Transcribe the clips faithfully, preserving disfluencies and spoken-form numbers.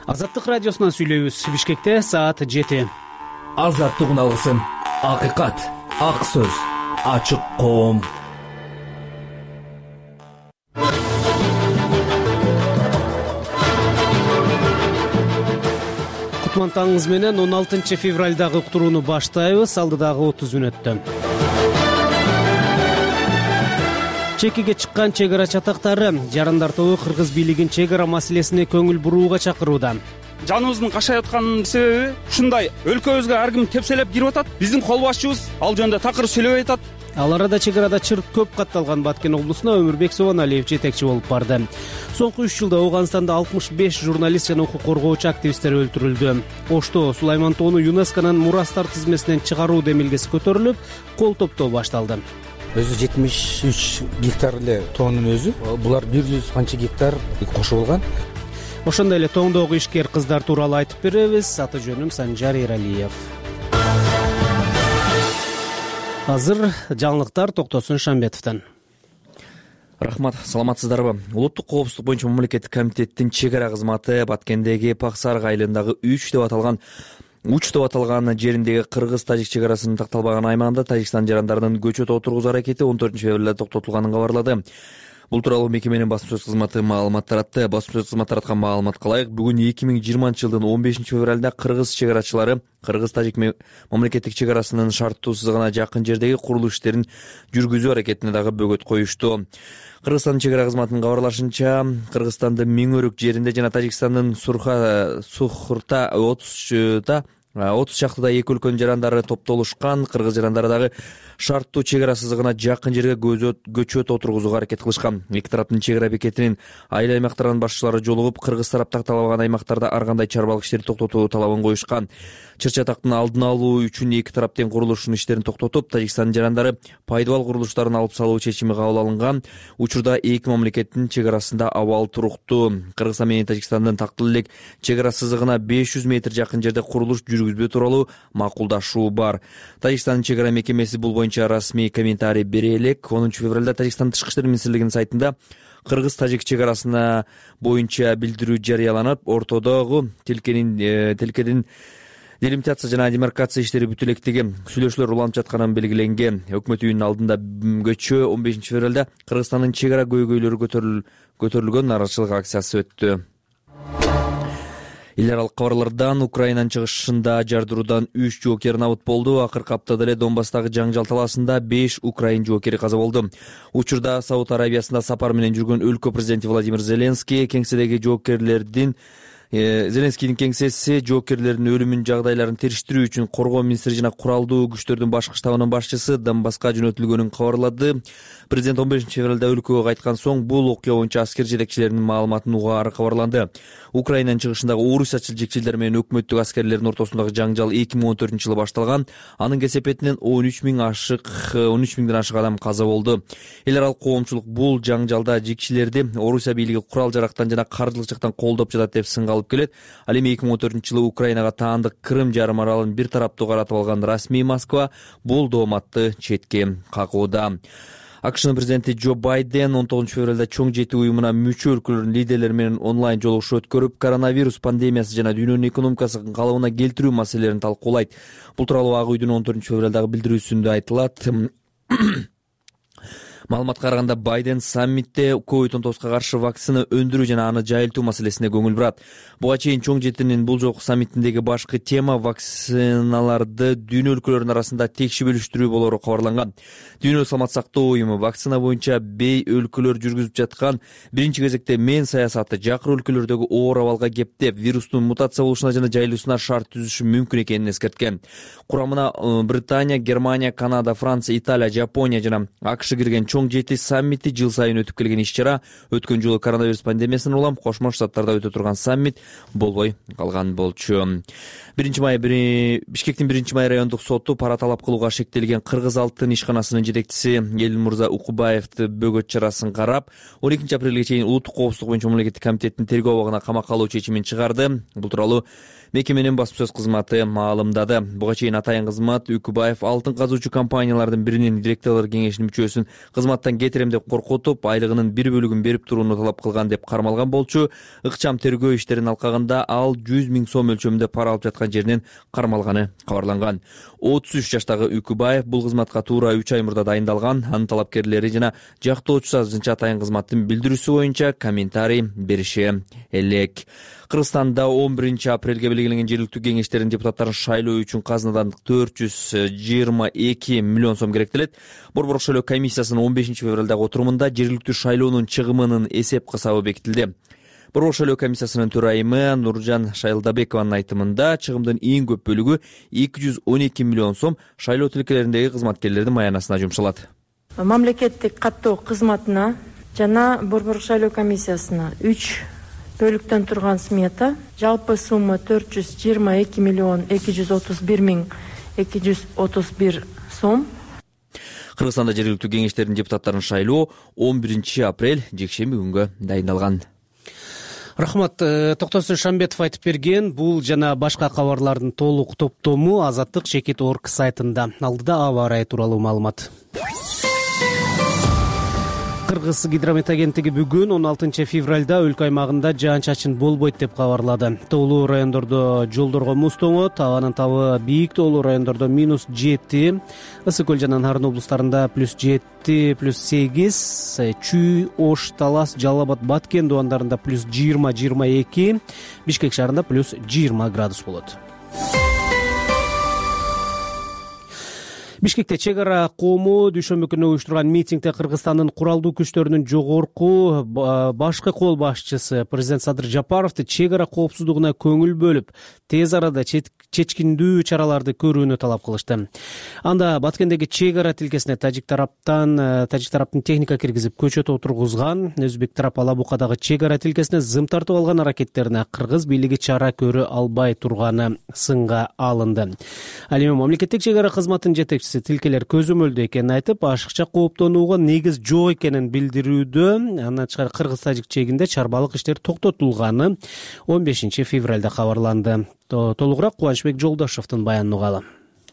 Азаттык радиосунан сүйлөйбүз. Бишкекте саат жети. Азаттык алгысын, акыйкат, ак сөз, ачык коом. Кутман таңыңыз менен он алтынчы февралдагы уктурууну баштайбыз. Алдыдагы отуз мүнөттө чекиге чыккан чек ара чатактары жарандар тобу кыргыз бийлигин чек ара маселесине көңүл бурууга чакырууда. Жаныбыздын кашай аткан себеби ушундай өлкөбүзгө ар ким тепселеп кирип атат. Биздин кол башчыбыз ал жөнүндө такыр сүйлөбөй атат. Ал арада чек арада чыр көп катталган Баткен облусуна Өмүрбек Собоналиев жетекчи болуп барды. Соңку үч жылда Ооганстанда алтымыш беш журналист жана укук коргоочу активисттер өлтүрүлдү. Ошто Сулайман тоону ЮНЕСКОнун мурастар тизмесинен чыгаруу демилгеси көтөрүлүп, кол топтоо башталды. Өзү жетимиш үч гектар эле тоонун өзү, булар бир жүз канча гектар кошулган. Ошондой эле тоңдогу ишкер кыздар тууралуу айтып беребиз. Аты жөнүм Санжар Эралиев. Азыр жаңылыктар Токтосун Шамбетовдон. Рахмат, саламатсыздарбы? Улуттук коопсуздук боюнча мамлекеттик комитеттин чек ара кызматы Баткендеги Паксарык айылындагы үч деп аталган Уч деп аталган жериндеги кыргыз-тажик чек арасынын такталбаган аймагында Тажикстан жарандарынын көчөт отургузуу аракети он төртүнчү февралда токтотулганын кабарлады. Бул тууралуу мекеменин басма сөз кызматы маалымат таратты. Басма сөз кызматы тараткан маалыматка ылайык, бүгүн эки миң жыйырманчы жылдын он бешинчи февралда кыргыз чек арачылары кыргыз-тажик мамлекеттик чек арасынын шарттуу сызыгына жакын жердеги курулуш иштерин жүргүзүү аракетине дагы бөгөт коюшту. Кыргызстандын чек ара кызматынын кабарлашынча, Кыргызстандын Миң-Өрүк жеринде жана Тажикстандын Сурха Сухурта отузда отуз чактыда эки өлкөнүн жарандары топтолушкан. Кыргыз жарандары дагы шарттуу чек ара сызыгына жакын жерге көчөт отургузууга аракет кылышкан. Эки тараптын чек ара бекетинин айыл аймактарынын башчылары жолугуп, кыргыз тарап такталбаган аймактарда ар кандай чарбалык иштерди токтотуу талабын коюшкан. Чыр-чатактын алдын алуу үчүн эки тарап тең курулуштун иштерин токтотуп, Тажикстандын жарандары пайдабал курулуштарын алып салуу чечими кабыл алынган. Учурда эки мамлекеттин чек арасында абал туруктуу. Кыргызстан менен Тажикстандын тактыл элек чек ара сызыгына беш жүз метр жакын жерде курулуш жүргүзбөө тууралуу макулдашуу бар. Тажикстандын чек ара мекемеси бул боюнча расмий комментарий бере элек. онунчу февралда Тажикстан тышкы иштер министрлигинин сайтында кыргыз-тажик чек арасына боюнча билдирүү жарыяланып, ортодогу тилкенин тилкедин делимитация жана демаркация иштери бүтө электиги сүйлөшүүлөр уланып жатканын белгиленген. Өкмөт үйүнүн алдында көчө он бешинчи февралда Кыргызстандын чек ара көйгөйлөрү көтөрүлгөн нааразычылык акциясы өттү. Эл аралык кабарлардан Украинанын чыгышында жардыруудан үч жоокер набыт болду. Акыркы аптада эле Донбасстагы жаңжал талаасында беш украин жоокери каза болду. Учурда Сауд Арабиясында сапар менен жүргөн өлкө президенти Владимир Зеленский кеңседеги жоокерлердин Зеленскийдин кеңсеси жоокерлердин өлүмүнүн жагдайларын териштирүү үчүн коргоо министри жана куралдуу күчтөрдүн башкы штабынын башчысы Донбасска жөнөтүлгөнүн кабарлады. Президент он бешинчи февралда өлкөгө кайткан соң бул окуя боюнча аскер жетекчилеринин маалыматын угаары кабарланды. Украинанын чыгышындагы орусча жетекчилер менен өкмөттүк аскерлердин ортосундагы жаңжал эки миң он төртүнчү жылы башталган. Анын кесепетинен он үч миң ашык он үч миңден ашык адам каза болду. Эл аралык коомчулук бул жаңжалда жигчилерди Орусия бийлиги курал жарактан жана каржылык жактан колдоп жатат деп сынга алып келет. Ал эми эки миң он төртүнчү жылы Украинага таандык Крым жарым аралын бир тараптуу каратып алган расмий Москва бул дооматты четке какууда. АКШнын президенти Джо Байден он тогузунчу февралда чоң жети уюмуна мүчө өлкөлөрдүн лидерлери менен онлайн жолугушуу өткөрүп, коронавирус пандемиясы жана дүйнөнүн экономикасын калыбына келтирүү маселелерин талкуулайт. Бул тууралуу Ак үйдүн он төртүнчү февралдагы билдирүүсүндө айтылат. Маалыматка караганда, Байден саммитте ковид он тогузга каршы вакцина өндүрүү жана аны жайылтуу маселесине көңүл бурат. Буга чейин чоң жетинин бул жолку саммитиндеги башкы тема вакциналарды дүйнө өлкөлөрүнүн арасында текши бөлүштүрүү болору кабарланган. Дүйнөлүк саламат сактоо уюму вакцина боюнча бей өлкөлөр жүргүзүп жаткан биринчи кезекте мен саясаты жакыр өлкөлөрдөгү оор абалга кептеп, вирустун мутация болушуна жана жайылуусуна шарт түзүшү мүмкүн экенин эскерткен. Курамына Британия, Германия, Канада, Франция, Италия, Жапония жана АКШ кирген чоң жети саммити жыл сайын өтүп келген иш-чара. Өткөн жылы коронавирус пандемиясынан улам Кошмо Штаттарда өтө турган саммит болбой калган болчу. биринчи май Бишкектин биринчи май райондук соту пара талап кылууга шектелген Кыргыз алтын ишканасынын жетекчиси Элмурза Укубаевди бөгөт чарасын карап, он экинчи апрелге чейин улуттук коопсуздук боюнча мамлекеттик комитеттин тергөө абагына камакка алуу чечимин чыгарды. Бул тууралуу мекеменин басма сөз кызматы маалымдады. Буга чейин атайын кызмат Укубаев алтын казуучу компаниялардын биринин директорлор кеңешинин мүчөсүн кызмат кызматтан кетирем деп коркутуп, айлыгынын бир бөлүгүн берип турууну талап кылган деп кармалган болчу. Ыкчам тергөө иштерин алкагында ал жүз миң сом мөлчөрүндө пара алып жаткан жеринен кармалганы кабарланган. отуз үч жаштагы Үкүбаев бул кызматка туура үч ай мурда дайындалган. Анын талапкерлери жана жактоочусу азырынча атайын кызматтын билдирүүсү боюнча комментарий бериши элек. Кыргызстанда он биринчи апрелге белгиленген жергиликтүү кеңештердин депутаттарын шайлоо үчүн казынадан төрт жүз жыйырма эки миллион сом керектелет. Борбордук шайлоо комиссиясынын он бешинчи февралдагы отурумунда жергиликтүү шайлоонун чыгымынын эсеп кысабы бекитилди. Борбордук шайлоо комиссиясынын төрайымы Нуржан Шайлдабекованын айтымында чыгымдын эң көп бөлүгү эки жүз он эки миллион сом шайлоо тилкелериндеги кызматкерлердин маянасына жумшалат. Мамлекеттик каттоо кызматына жана Борбордук шайлоо комиссиясына үч бөлүктөн турган смета, жалпы сумма төрт жүз жыйырма эки миллион эки жүз отуз бир миң эки жүз отуз бир сом. Кыргызстанда жергиликтүү кеңештердин депутаттарын шайлоо он биринчи апрель жекшемби күнгө дайындалган. Рахмат. Токтосун Шамбетов айтып берген. Бул жана башка кабарлардын толук топтому Азаттык чекит точка орг сайтында. Алдыда аба ырайы тууралуу маалымат. Кыргыз гидромет агенттиги бүгүн он алтынчы февралда өлкө аймагында жаан-чачын болбойт деп кабарлады. Тоолуу райондордо жолдорго муз тоңот, абанын табы бийик тоолуу райондордо минус жети, Ысык көл жана Нарын облустарында плюс жети, плюс сегиз, Чүй, Ош, Талас, Жалал Абад, Баткен дубандарында плюс жыйырма, жыйырма эки, Бишкек шаарында плюс жыйырма градус болот. Бишкекте чек ара коому дүйшөмбү күнү уюштурган митингде Кыргызстандын куралдуу күчтөрүнүн жогорку башкы кол башчысы президент Садыр Жапаровду чек ара коопсуздугуна көңүл бөлүп, тез арада чечкиндүү чараларды көрүүнү талап кылышты. Анда Баткендеги чек ара тилкесине тажик тараптан тажик тараптын техника киргизип көчөт отургузган, өзбек тарап Ала Букадагы чек ара тилкесине зым тартып алган аракеттерине кыргыз бийлиги чара көрө албай турганы сынга алынды. Ал эми мамлекеттик чек ара кызматынын жетекчиси тилкелер көзөмөлдүү экенин айтып, ашыкча кооптонууга негиз жок экенин билдирүүдө. Андан тышкары кыргыз-тажик чегинде чарбалык иштер токтотулганы он бешинчи февралда кабарланды. Толугураак Кубанычбек Жолдошовдун баянын угалы.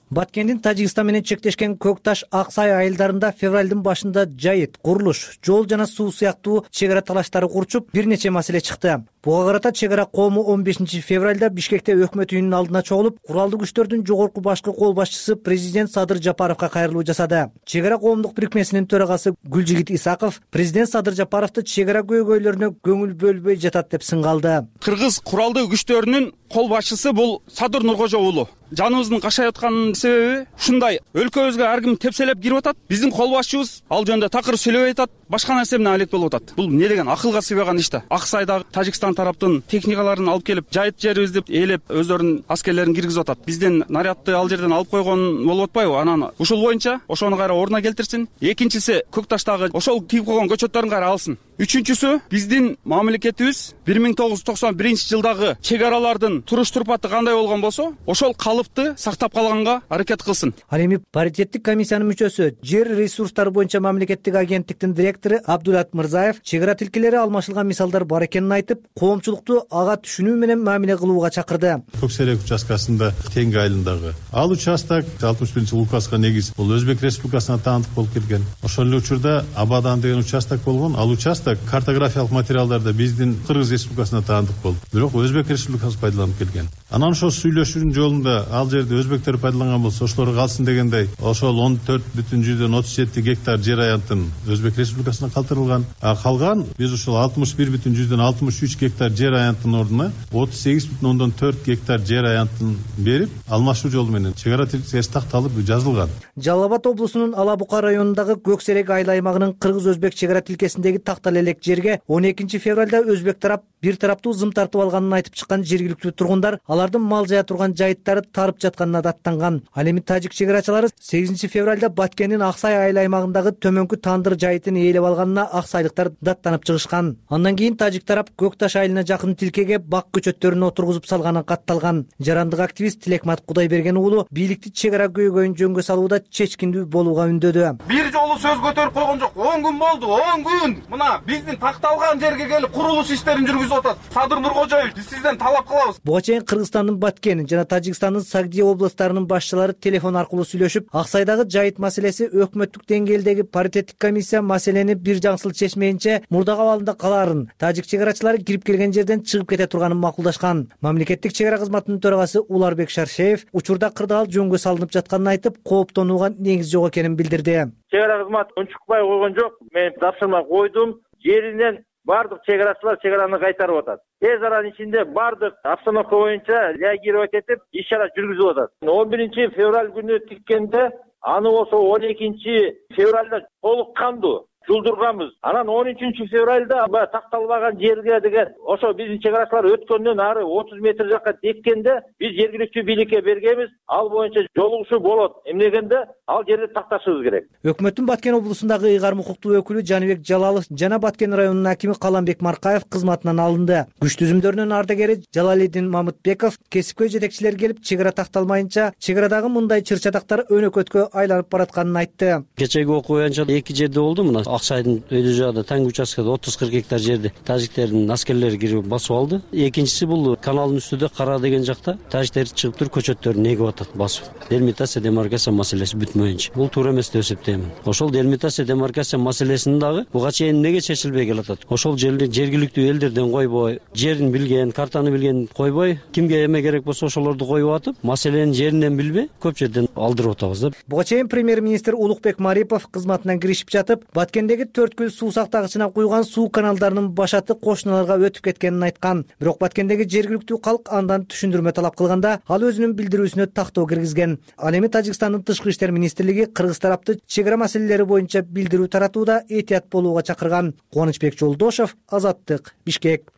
Баткендин Тажикстан менен чектешкен Көк Таш, Ак Сай айылдарында февралдын башында жайыт, курулуш, жол жана суу сыяктуу чек ара талаштары курчуп, бир нече маселе чыкты. Буга карата чек ара коому он бешинчи февралда Бишкекте өкмөт үйүнүн алдына чогулуп, куралдуу күчтөрдүн жогорку башкы кол башчысы президент Садыр Жапаровго кайрылуу жасады. Чек ара коомдук бирикмесинин төрагасы Гүлжигит Исаков президент Садыр Жапаровду чек ара көйгөйлөрүнө көңүл бөлбөй жатат деп сынгалды. Кыргыз куралдуу күчтөрүнүн кол башчысы бул Садыр Нуркожо уулу. Жаныбыздын кашай аткан себеби ушундай өлкөбүзгө ар ким тепселеп кирип атат. Биздин кол башчыбыз ал жөнүндө такыр сүйлөбөй атат. Башка нерсе менен алек болуп атат. Бул эмне деген акылга сыйбаган иш да. Ак Сайдагы Тажикстан тараптын техникаларын алып келип, жайыт жерибизди ээлеп, өздөрүнүн аскерлерин киргизип атат. Бизден нарядты ал жерден алып койгон болуп атпайбы? Анан ушул боюнча ошону кайра ордуна келтирсин. Экинчиси, Көк Таштагы ошол тийип койгон көчөттөрүн кайра алсын. Үчүнчүсү, биздин мамлекетибиз бир миң тогуз жүз токсон биринчи жылдагы чек аралардын туруш турпаты кандай болгон болсо, ошол калыпты сактап калганга аракет кылсын. Ал эми паритеттик комиссиянын мүчөсү, жер ресурстары боюнча мамлекеттик агенттиктин директору Абдулат Мырзаев чек ара тилкелери алмашылган мисалдар бар экенин айтып, коомчулукту ага түшүнүү менен мамиле кылууга чакырды. Көксерек участкасында Теңге айылындагы ал участок алтымыш биринчи указга негиз бул Өзбек Республикасына таандык болуп келген. Ошол эле учурда Абадан деген участок болгон. Ал участок картографиялык материалдарда биздин Кыргыз Республикасына таандык болуп, бирок Өзбек Республикасы пайдаланып келген. Анан ошол сүйлөшүүнүн жолунда ал жерде өзбектер пайдаланган болсо, ошолор калсын дегендей, ошол он төрт бүтүн жүздөн отуз жети гектар жер аянтын Өзбек Республикасына калтырылган. А калган биз ошол алтымыш бир бүтүн жүздөн алтымыш үч гектар жер аянтын ордуна отуз сегиз бүтүн ондон төрт гектар жер аянтын берип, алмашуу жолу менен чек ара тилкеси такталып жазылган. Жалал Абад облусунун Ала Бука районундагы Көксерек айыл аймагынын кыргыз-өзбек чек ара тилкесиндеги тактал элек жерге он экинчи февралда өзбек тарап бир тараптуу зым тартып алганын айтып чыккан жергиликтүү тургундар алардын мал жая турган жайыттары тарып жатканына даттанган. Ал эми тажик чек арачылары сегизинчи февралда Баткендин Ак Сай айыл аймагындагы төмөнкү Тандыр жайытын ээлеп алганына ак сайлыктар даттанып чыгышкан. Андан кийин тажик тарап Көк Таш айылына жакын тилкеге бак көчөттөрүн отургузуп салганы катталган. Жарандык активист Тилекмат Кудайберген уулу бийликти чек ара көйгөйүн жөнгө салууда чечкиндүү болууга үндөдү. Бир жолу сөз көтөрүп койгон жок. он күн болду, он күн. Мына биздин такталган жерге келип курулуш иштерин жүргүзүп атат Садыр Нуркожоевич. Биз сизден талап кылабыз. Буга чейин Кыргызстандын Баткен жана Тажикстандын Сагдия областтарынын башчылары телефон аркылуу сүйлөшүп, Аксайдагы жайыт маселеси өкмөттүк деңгээлдеги паритеттик комиссия маселени бир жаңсыл чечмейинче мурдагы абалында калаарын, тажик чек чек кирип келген жерден чыгып кете турганын макулдашкан. Мамлекеттик чек ара кызматынын төрагасы Уларбек Шаршеев учурда кырдаал жөнгө салынып жатканын айтып, кооптонууга негиз жок экенин билдирди. Чек ара кызматы унчукпай койгон жок. Мен тапшырма койдум. Жеринен бардык чек арачылар чек араны кайтарып атат. Тез аранын ичинде бардык обстановка боюнча реагировать этип, иш чара жүргүзүп атат. он биринчи февраль күнү тиккенде, аны болсо он экинчи февралда толук кандуу жулдурганбыз. Анан он үчүнчү февралда баягы такталбаган жерге деген ошо биздин чек арачылар өткөндөн ары отуз метр жакка теккенде биз жергиликтүү бийликке бергенбиз. Ал боюнча жолугушуу болот. Эмнегенде ал жерди такташыбыз керек. Өкмөттүн Баткен облусундагы ыйгарым укуктуу өкүлү Жаныбек Жалалов жана Баткен районунун акими Каламбек Маркаев кызматынан алынды. Күч түзүмдөрүнүн ардагери Жалалидин Мамытбеков кесипкөй жетекчилер келип чек ара такталмайынча чек арадагы мындай чыр-чатактар өнөкөткө айланып баратканын айтты. Кечеги окуу боюнча эки жерде болду. Мына Аксайдын өйдө жагында таң участкада отуз кырк гектар жерди тажиктердин аскерлери кирип басып алды. Экинчиси бул каналдын үстүндө Кара деген жакта тажиктер чыгып туруп көчөттөрүн эгип атат басып. Делимитация демаркация маселеси бүтмөйүнчө. Бул туура эмес деп эсептейм. Ошол делимитация демаркация маселесин дагы буга чейин эмнеге чечилбей келатат? Ошол жерди жергиликтүү элдерден койбой, жерин билген, картаны билген койбой, кимге эме керек болсо ошолорду коюп атып, маселенин жеринен билбей көп жерден алдырып атабыз да. Буга чейин премьер-министр Улукбек Марипов кызматынан киришип жатып, Баткендеги Төрткүл суу сактагычына куйган суу каналдарынын башаты кошуналарга өтүп кеткенин айткан. Бирок Баткендеги жергиликтүү калк андан түшүндүрмө талап кылганда, ал өзүнүн билдирүүсүнө тактоо киргизген. Ал эми Тажикстандын тышкы иштер министрлиги кыргыз тарапты чек ара маселелери боюнча билдирүү таратууда этият болууга чакырган. Кубанычбек Жолдошов, Азаттык, Бишкек.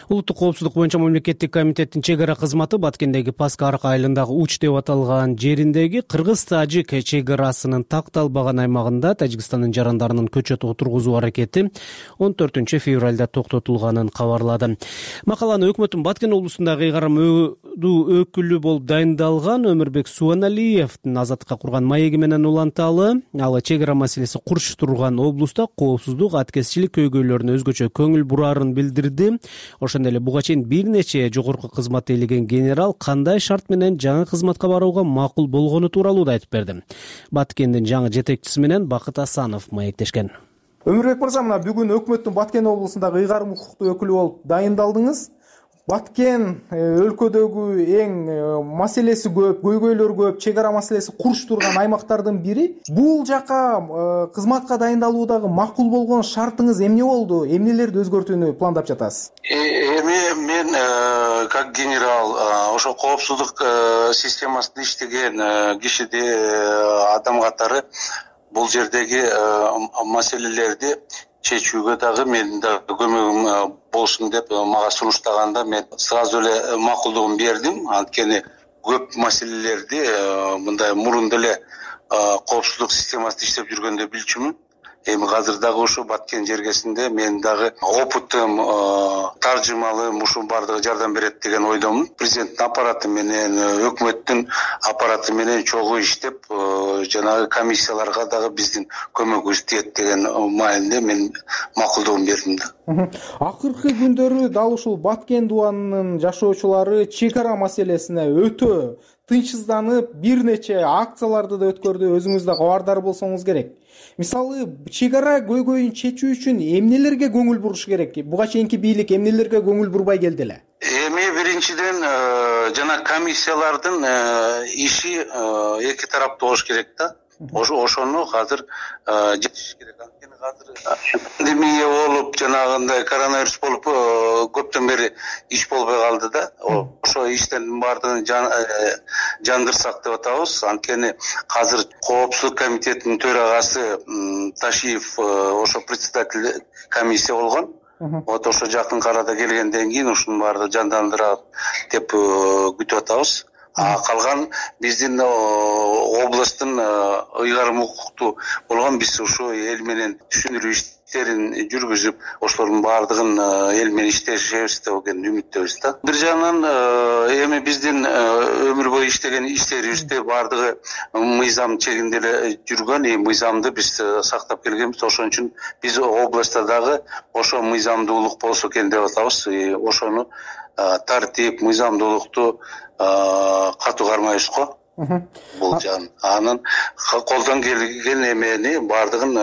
Улуттук коопсуздук боюнча мамлекеттик комитеттин чек ара кызматы Баткендеги Паска Арка айылындагы Уч деп аталган жериндеги кыргыз-тажик чек арасынын такталбаган аймагында Тажикстандын жарандарынын көчөт отургузуу аракети он төртүнчү февралда токтотулганын кабарлады. Макаланы өкмөттүн Баткен облусундагы ыйгарым өкүлү болуп дайындалган Өмүрбек Суаналиевдин Азаттыкка курган маеги менен уланталы. Ал чек ара маселеси курч турган облуста коопсуздук, аткезчилик көйгөйлөрүнө өзгөчө көңүл бурарын билдирди. Ошондой эле буга чейин бир нече жогорку кызматты ээлеген генерал кандай шарт менен жаңы кызматка барууга макул болгону тууралуу да айтып берди. Баткендин жаңы жетекчиси менен Бакыт Асанов маектешкен. Өмүрбек мырза, мына бүгүн өкмөттүн Баткен облусундагы ыйгарым укуктуу өкүлү болуп дайындалдыңыз. Баткен өлкөдөгү эң маселеси көп, көйгөйлөр көп, чек ара маселеси курч турган аймактардын бири. Бул жака кызматка дайындалуудагы макул болгон шартыңыз эмне болду? Эмнелерди өзгөртүүнү пландап жатасыз? Эми мен как генерал ошо коопсуздук системасында иштеген кишиде адам катары бул жердеги маселелерди чечүүгө дагы менин да көмөгүм болсун деп мага сунуштаганда мен сразу эле макулдугун бердим. Анткени көп маселелерди мындай мурун деле коопсуздук системасында иштеп жүргөндө билчүмүн. Эми азыр дагы ушу Баткен жергесинде мен дагы опытым, таржымалым ушу бардыгы жардам берет деген ойдомун. Президенттин аппараты менен, өкмөттүн аппараты менен чогуу иштеп, жанагы комиссияларга дагы биздин көмөгүбүз тиет деген маанилде мен макулдугун бердим да. Акыркы күндөрү дал ушул Баткен дубанынын жашоочулары чек ара маселесине өтө тынчсызданып, бир нече акцияларды да өткөрдү. Өзүңүз да кабардар болсоңуз керек. Мисалы, чек ара көйгөйүн чечүү үчүн эмнелерге көңүл буруш керек? Буга чейинки бийлик эмнелерге көңүл бурбай келди эле? Эми биринчиден жана комиссиялардын иши эки тараптуу болуш керек да. Ошону азыр жетиш керек. Анткени азыр пандемия болуп, жанагындай коронавирус болуп көптөн бери иш болбой калды да. Ошо иштин баардыгын жандырсак деп атабыз. Анткени азыр коопсуздук комитетинин төрагасы Ташиев ошо председатель комиссия болгон. Вот ошо жакын арада келгенден кийин ушунун баардыгы жандандырат деп күтүп атабыз. А калган биздин областтын ыйгарым укуктуу болгон биз ушу эл менен түшүндүрүү иштерин жүргүзүп ошолордун баардыгын эл менен иштешебиз деген үмүттөбүз да. Бир жагынан эми биздин өмүр бою иштеген иштерибизде баардыгы мыйзам чегинде эле жүргөн, и мыйзамды биз сактап келгенбиз. Ошон үчүн биз областта дагы ошо мыйзамдуулук болсо экен деп атабыз. Ошону тартип, мыйзамдуулукту катуу кармайбыз го. Бул жан анын колдон келген эмени баардыгын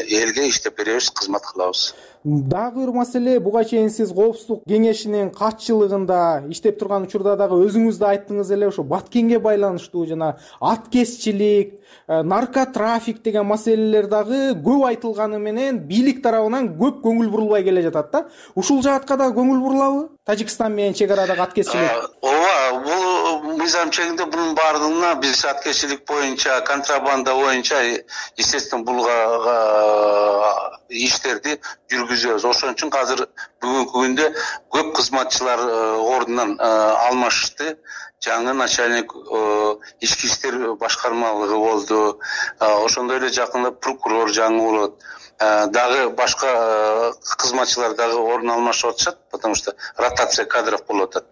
элге иштеп беребиз, кызмат кылабыз. Дагы бир маселе, буга чейин сиз коопсуздук кеңешинин катчылыгында иштеп турган учурда дагы өзүңүз да айттыңыз эле, ошо Баткенге байланыштуу жана аткезчилик, наркотрафик деген маселелер дагы көп айтылганы менен бийлик тарабынан көп көңүл бурулбай келе жатат да. Ушул жаатка дагы көңүл бурулабы? Тажикстан менен чек арадагы аткезчилик. Ооба, бул мыйзам чегинде бунун баардыгына биз аткезчилик боюнча, контрабанда боюнча, естественно, булга иштерди жүргүзөбүз. Ошон үчүн азыр бүгүнкү күндө көп кызматчылар ордунан алмашты. Жаңы начальник ички иштер башкармалыгы болду. Ошондой эле жакында прокурор жаңы болот. Дагы башка кызматчылар дагы орун алмашып атышат, потому что ротация кадров болуп атат.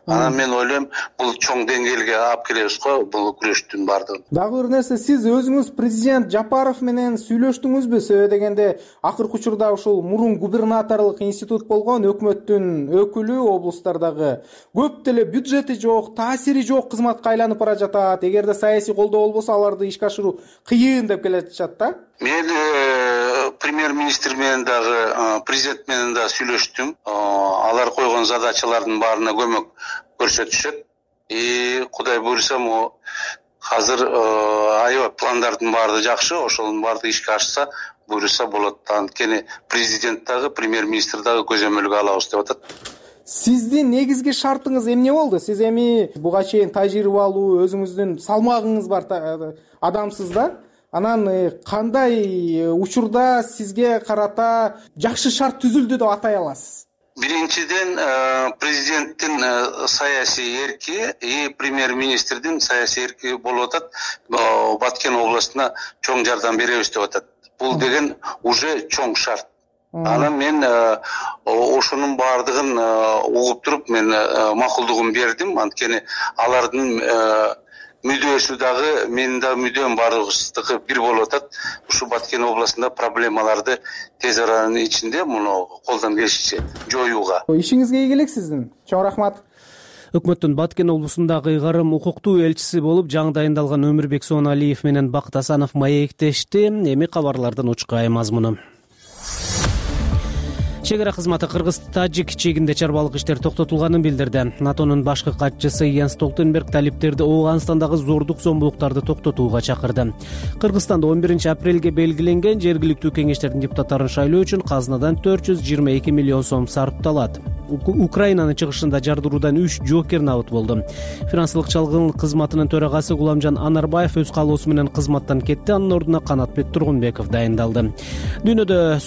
Анан мен ойлойм, бул чоң деңгээлге алып келебиз го, бул күрөштүн баардыгын. Дагы бир нерсе, сиз өзүңүз президент Жапаров менен сүйлөштүңүзбү? Себеби дегенде акыркы учурда ушул мурун губернаторлук институт болгон өкмөттүн өкүлү облустардагы көп деле бюджети жок, таасири жок кызматка айланып бара жатат. Эгерде саясий колдоо болбосо, аларды ишке ашыруу кыйын деп келатышат да. Мен премьер-министр менен дагы, президент менен да сүйлөштүм. Алар койгон задачалардын баарына көмөк көрсөтүшөт. И Кудай буйрса, азыр аябай пландардын баары жакшы, ошонун баардыгы ишке ашса, буйрса болот. Анткени президент дагы, премьер-министр дагы көзөмөлгө алабыз деп атат. Сиздин негизги шартыңыз эмне болду? Сиз эми буга чейин тажрыйбалуу, өзүңүздүн салмагыңыз бар адамсыз да. Анан кандай учурда сизге карата жакшы шарт түзүлдү деп атай аласыз? Биринчиден, президенттин саясий эрки и премьер-министрдин саясий эрки болуп атат. Баткен областына чоң жардам беребиз деп атат. Бул деген уже чоң шарт. Анан мен ошонун баардыгын угуп туруп, мен макулдугун бердим. Анткени алардын мүдөөсү дагы, менин дагы мүдөм баардыгыбыздыкы бир болуп атат. Ушу Баткен областында проблемаларды тез аранын ичинде муну колдон келишинче жоюуга. Ишиңизге ийгилик сиздин. Чоң рахмат. Өкмөттүн Баткен облусундагы ыйгарым укуктуу элчиси болуп жаңы дайындалган Өмүрбек Сооналиев менен Бакыт Асанов маектешти. Эми кабарлардан учкай мазмуну. Чек ара кызматы Кыргыз-Тажик чегинде чарбалык иштер токтотулганын билдирди. НАТОнун башкы катчысы Йенс Столтенберг талиптерди Оогандагы зордук зомбулуктарды токтотууга чакырды. Кыргызстанда он биринчи апрелге белгиленген жергиликтүү кеңештердин депутаттарын шайлоо үчүн казынадан төрт жүз жыйырма эки миллион сом сарпталат. Украинанын чыгышында жардыруудан үч жокер набыт болду. Финансылык чалгын кызматынын төрагасы Гуламжан Анарбаев өз каалоосу менен кызматтан кетти. Анын ордуна Канатбек Тургунбеков дайындалды. Дүйнөдө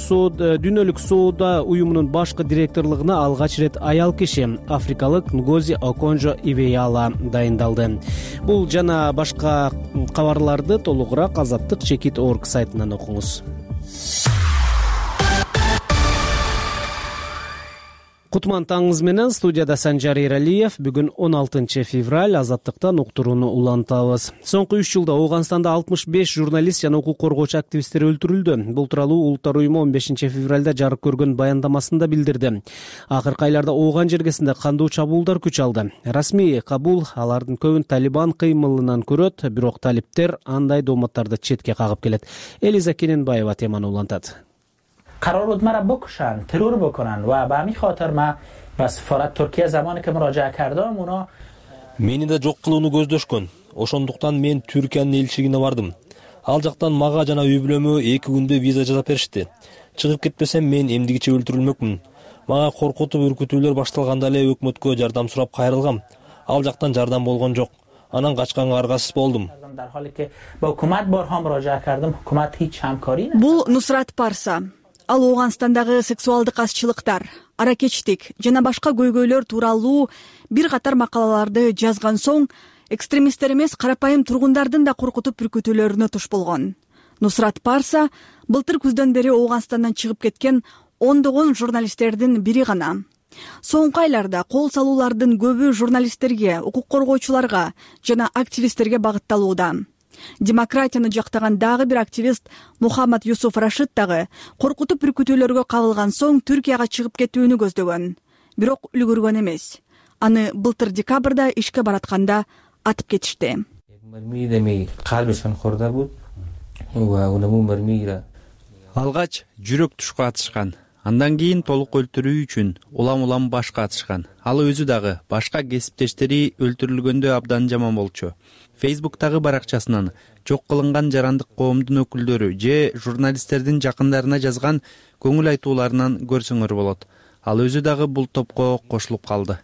дүйнөлүк соода уюмунун башкы директорлугуна алгач ирет аял киши, африкалык Нгози Оконжо Ивеяла дайындалды. Бул жана башка кабарларды толугураак азаттык чекит точка орг сайтынан окуңуз. Кутман таңыңыз менен студияда Санжар Эралиев. Бүгүн он алтынчы февраль, азаттыктан уктурууну улантабыз. Соңку үч жылда Ооганстанда алтымыш беш журналист жана укук коргоочу активисттер өлтүрүлдү. Бул тууралуу Улуттар уюму он бешинчи февралда жарык көргөн баяндамасында билдирди. Акыркы айларда Ооган жергесинде кандуу чабуулдар күч алды. Расмий Кабул алардын көбүн Талибан кыймылынан көрөт, бирок талиптер андай дооматтарды четке кагып келет. Элиза Кененбаева теманы улантат. قرار بود مرا بکشن، ترور بکنن و به همین خاطر من به سفارت ترکیه زمانی که مراجعه کردم اونا мени да жок кылууну көздөшкөн. Ошондуктан мен Түркиянын элчилигине бардым. Ал жактан мага жана үй бүлөмө эки күндө виза жасап беришти. Чыгып кетпесем мен эмдигиче өлтүрүлмөкмүн. Мага коркутуп үркүтүүлөр башталганда эле өкмөткө жардам сурап кайрылгам. Ал жактан жардам болгон жок. Анан качканга аргасыз болдум. Бул Нусрат Парса. Ал Ооганстандагы сексуалдык азчылыктар, аракечтик жана башка көйгөйлөр тууралуу бир катар макалаларды жазган соң экстремисттер эмес, карапайым тургундардын да коркутуп үркүтүүлөрүнө туш болгон. Нусрат Парса былтыр күздөн бери Ооганстандан чыгып кеткен ондогон журналисттердин бири гана. Соңку айларда кол салуулардын көбү журналисттерге, укук коргоочуларга жана активисттерге багытталууда. Демократияны жактаган дагы бир активист Мухаммад Юсуф Рашид дагы коркутуп бүркүтүүлөргө кабылган соң Түркияга чыгып кетүүнү көздөгөн. Бирок үлгүргөн эмес. Аны былтыр декабрда ишке баратканда атып кетишти. Алгач жүрөк тушка атышкан. Андан кийин толук өлтүрүү үчүн улам-улам башка атышкан. Ал өзү дагы башка кесиптештери өлтүрүлгөндө абдан жаман болчу. Фейсбуктагы баракчасынан жок кылынган жарандык коомдун өкүлдөрү же журналисттердин жакындарына жазган көңүл айтууларынан көрсөңөр болот. Ал өзү дагы бул топко кошулуп калды.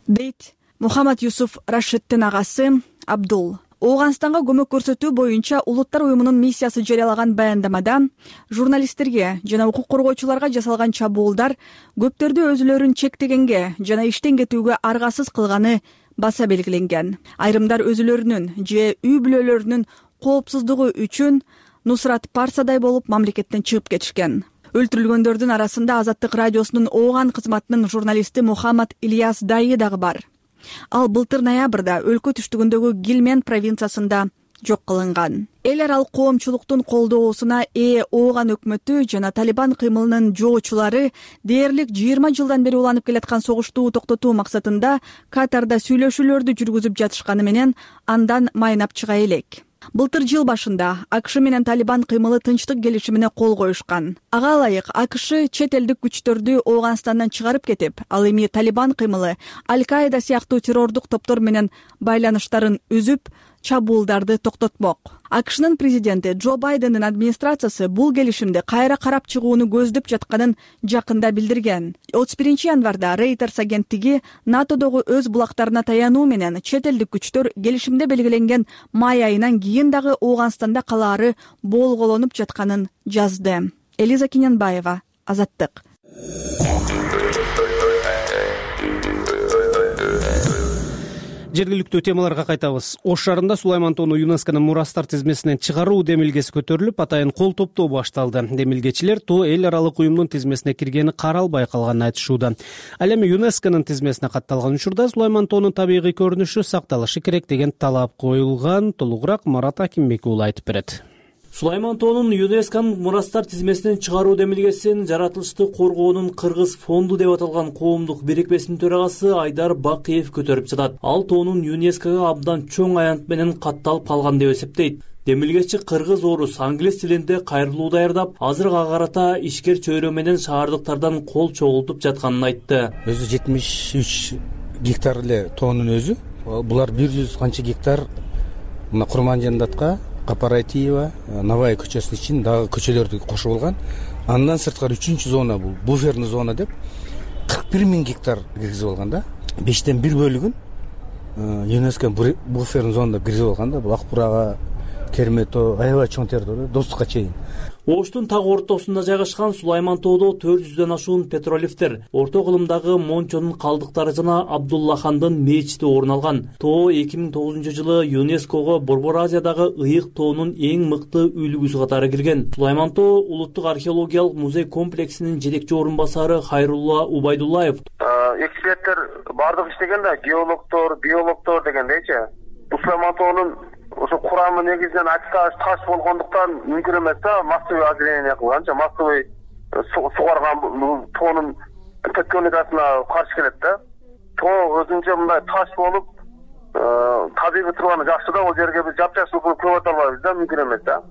Дейт Мухаммад Юсуф Рашидтин агасы Абдул. Ооганстанга көмөк көрсөтүү боюнча Улуттар уюмунун миссиясы жарыялаган баяндамада журналисттерге жана укук коргоочуларга жасалган чабуулдар көптөрдү өзүлөрүн чектегенге жана иштен кетүүгө аргасыз кылганы баса белгиленген. Айрымдар өзүлөрүнүн же үй бүлөлөрүнүн коопсуздугу үчүн Нусрат Парсадай болуп мамлекеттен чыгып кетишкен. Өлтүрүлгөндөрдүн арасында Азаттык радиосунун Ооган кызматынын журналисти Мухаммад Ильяс Дайы дагы бар. Ал былтыр ноябрда өлкө түштүгүндөгү Гилмен провинциясында жок кылынган. Эл аралык коомчулуктун колдоосуна ээ Ооган өкмөтү жана Талибан кыймылынын жоочулары дээрлик жыйырма жылдан бери уланып келаткан согушту токтотуу максатында Катарда сүйлөшүүлөрдү жүргүзүп жатышканы менен андан майнап чыга элек. Былтыр жыл башында АКШ менен Талибан кыймылы тынчтык келишимине кол коюшкан. Ага ылайык АКШ чет элдик күчтөрдү Ооганстандан чыгарып кетип, ал эми Талибан кыймылы Аль-Каида сыяктуу террордук топтор менен байланыштарын үзүп, чабуулдарды токтотмок. АКШнын президенти Джо Байдендин администрациясы бул келишимди кайра карап чыгууну көздөп жатканын жакында билдирген. отуз биринчи январда Reuters агенттиги НАТОдогу өз булактарына таянуу менен чет элдик күчтөр келишимде белгиленген май айынан кийин дагы Ооганстанда калаары болголонуп жатканын жазды. Элиза Кинянбаева, Азаттык. Жергиликтүү темаларга кайтабыз. Ош шаарында Сулайман тоону ЮНЕСКОнун мурастар тизмесинен чыгаруу демилгеси көтөрүлүп, атайын кол топтоо башталды. Демилгечилер тоо эл аралык уюмдун тизмесине киргени каралбай калганын айтышууда. Ал эми ЮНЕСКОнун тизмесине катталган учурда Сулайман тоонун табигый көрүнүшү сакталышы керек деген талап коюлган. Толугураак Марат Акимбек уулу айтып берет. Сулайман тоонун ЮНЕСКонун мурастар тизмесинен чыгаруу демилгесин жаратылышты коргоонун Кыргыз фонду деп аталган коомдук бирикмесинин төрагасы Айдар Бакиев көтөрүп жатат. Ал тоонун ЮНЕСКого абдан чоң аянт менен катталып калган деп эсептейт. Демилгечи кыргыз, орус, англис тилинде кайрылуу даярдап, азыр ага карата ишкер чөйрө менен шаардыктардан кол чогултуп жатканын айтты. Өзү жетимиш үч гектар эле тоонун өзү. Булар бир жүз канча гектар мына Курманжандатка, Капаратиева, Навай көчөсү үчүн дагы көчөлөрдү кошуп алган. Андан сырткары үчүнчү зона бул буферный зона деп кырк бир миң гектар киргизип алган да. бештен бир бөлүгүн ЮНЕСКО буферный зона деп киргизип алган да. Бул Акбурага, Кермето, аябай чоң территория, Достукка чейин. Оштун так ортосунда жайгашкан Сулайман тоодо төрт жүздөн ашуун петролифтер, орто кылымдагы Мончонун калдыктары жана Абдуллахандын мечити орун алган. Тоо эки миң тогузунчу жылы ЮНЕСКого Борбор Азиядагы ыйык тоонун эң мыкты үлгүсү катары кирген. Сулайман тоо улуттук археологиялык музей комплексинин жетекчи орун басары Хайрулла Убайдуллаев. Эксперттер бардык иштеген да, геологдор, биологдор дегендейчи. Сулайман тоонун ошо курамы негизинен ачташ таш болгондуктан мүмкүн эмес да, массовый озеленение кылганча, массовый сугарган тоонун тектоникасына каршы келет да. Тоо өзүнчө мындай таш болуп, табигый турганы жакшы да, ал жерге биз жапжашыл көп ата албайбыз да, мүмкүн эмес да.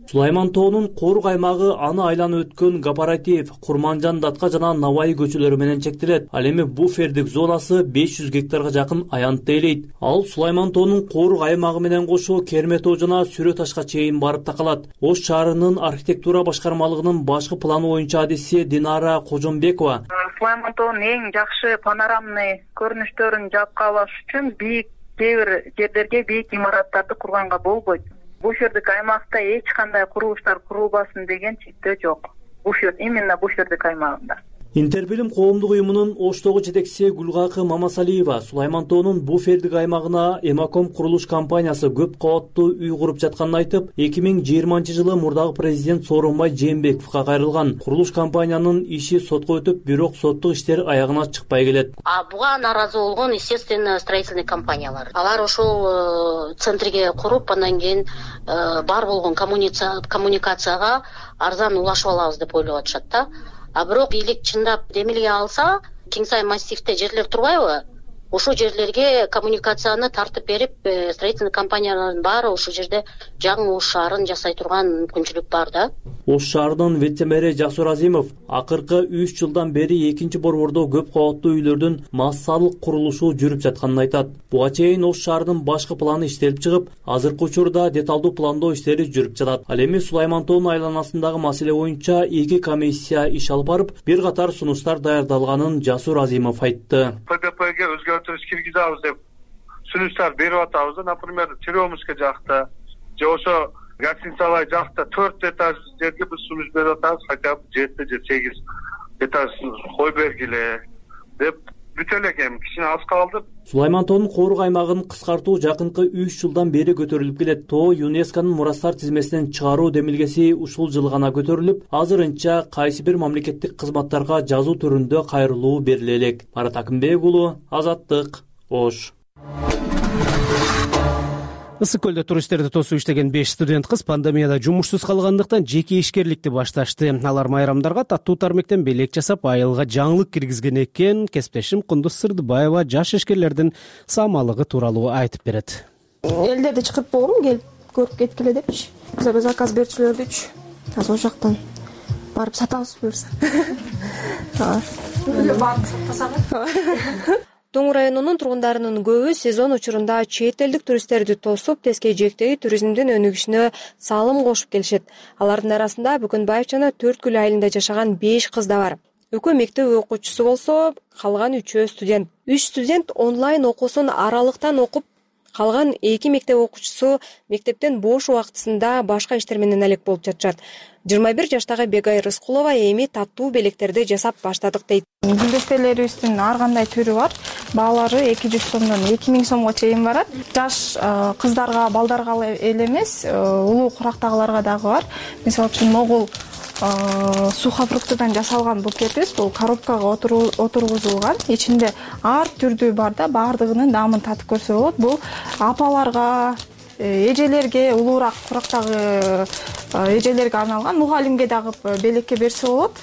Сулайман тоонун корук аймагы аны айланып өткөн Гапаратиев, Курманжан, Датка жана Навай көчөлөрү менен чектелет. Ал эми буфердик зонасы беш жүз гектарга жакын аянтты ээлейт. Ал Сулайман тоонун корук аймагы менен кошо Кермето жана Сүрө ташка чейин барып такалат. Ош шаарынын архитектура башкармалыгынын башкы планы боюнча адиси Динара Кожомбекова. Сулайман тоонун эң жакшы панорамный көрүнүштөрүн жапка алыш үчүн бийик кээ бир жерлерге бийик имараттарды курганга болбойт. Буфердик аймакта эч кандай курулуштар курулбасын деген чектөө жок. Буфер именно буфердик аймагында. Интербилим коомдук уюмунун Оштогу жетекчиси Гүлгакы Мамасалиева Сулайман тоонун буфердик аймагына Эмаком курулуш компаниясы көп кабаттуу үй куруп жатканын айтып, эки миң жыйырманчы жылы мурдагы президент Сооронбай Жээнбековго кайрылган. Курулуш компаниянын иши сотко өтүп, бирок соттук иштер аягына чыкпай келет. А буга наразы болгон, естественно, строительный компаниялар. Алар ошол центрге куруп, андан кийин бар болгон коммуникацияга арзан улашып алабыз деп ойлоп атышат да. А бирок бийлик чындап демилге алса, Кеңсай массивде жерлер турбайбы? Ошо жерлерге коммуникацияны тартып берип, строительный компаниялардын баары ошол жерде жаңы Ош шаарын жасай турган мүмкүнчүлүк бар да. Ош шаарынын вице-мэри Жасур Азимов акыркы үч жылдан бери экинчи борбордо көп кабаттуу үйлөрдүн массалык курулушу жүрүп жатканын айтат. Буга чейин Ош шаарынын башкы планы иштелип чыгып, азыркы учурда деталдуу пландоо иштери жүрүп жатат. Ал эми Сулайман тоонун айланасындагы маселе боюнча эки комиссия иш алып барып, бир катар сунуштар даярдалганын Жасур Азимов айтты. ПППге өзгөртүш киргизабыз деп сунуштар берип атабыз да, например, Черемушка жакта же ошо гостиницалай жакта төрт этаж жерге биз сунуш берип атабыз, хотя бы жети же сегиз этаж кой бергиле деп бүтө элек, эми кичине аз калды. Сулайман тоонун коорук аймагын кыскартуу жакынкы үч жылдан бери көтөрүлүп келет. Тоо ЮНЕСКОнун мурастар тизмесинен чыгаруу демилгеси ушул жыл гана көтөрүлүп, азырынча кайсы бир мамлекеттик кызматтарга жазуу түрүндө кайрылуу бериле элек. Марат Акымбек уулу, Азаттык, Ош. Ысык көлдө туристтерди тосуп иштеген беш студент кыз пандемияда жумушсуз калгандыктан жеке ишкерликти башташты. Алар майрамдарга таттуу тармектен белек жасап, айылга жаңылык киргизген экен. Кесиптешим Кундуз Сырдыбаева жаш ишкерлердин самалыгы тууралуу айтып берет. Элдерди чакырып болгом, келип көрүп кеткиле депчи. Биз заказ берүүчүлөрдүчү. Азыр ошол жактан барып сатабыз буюрса. Барып сатсак. Тоң районунун тургундарынын көбү сезон учурунда чет элдик туристтерди тосуп, тескей-жээктеги туризмдин өнүгүшүнө салым кошуп келишет. Алардын арасында Бүкөнбаев жана Төрткүл айылында жашаган беш кыз да бар. Экөө мектеп окуучусу болсо, калган үчөө студент. Үч студент онлайн окуусун аралыктан окуп, калган эки мектеп окуучусу мектептен бош убактысында башка иштер менен алек болуп жатышат. жыйырма бир жаштагы Бегай Рыскулова эми таттуу белектерди жасап баштадык дейт. Гүлдестелерибиздин ар кандай түрү бар. Баалары эки жүз сомдон эки миң сомго чейин барат. Жаш кыздарга, балдарга эле эмес, улуу курактагыларга дагы бар. Мисалы үчүн могул сухофруктудан жасалган букетибиз бул коробкага отургузулган. Ичинде ар түрдүү бар да, баардыгынын даамын татып көрсө болот. Бул апаларга, эжелерге, улуураак курактагы эжелерге арналган, мугалимге дагы белекке берсе болот.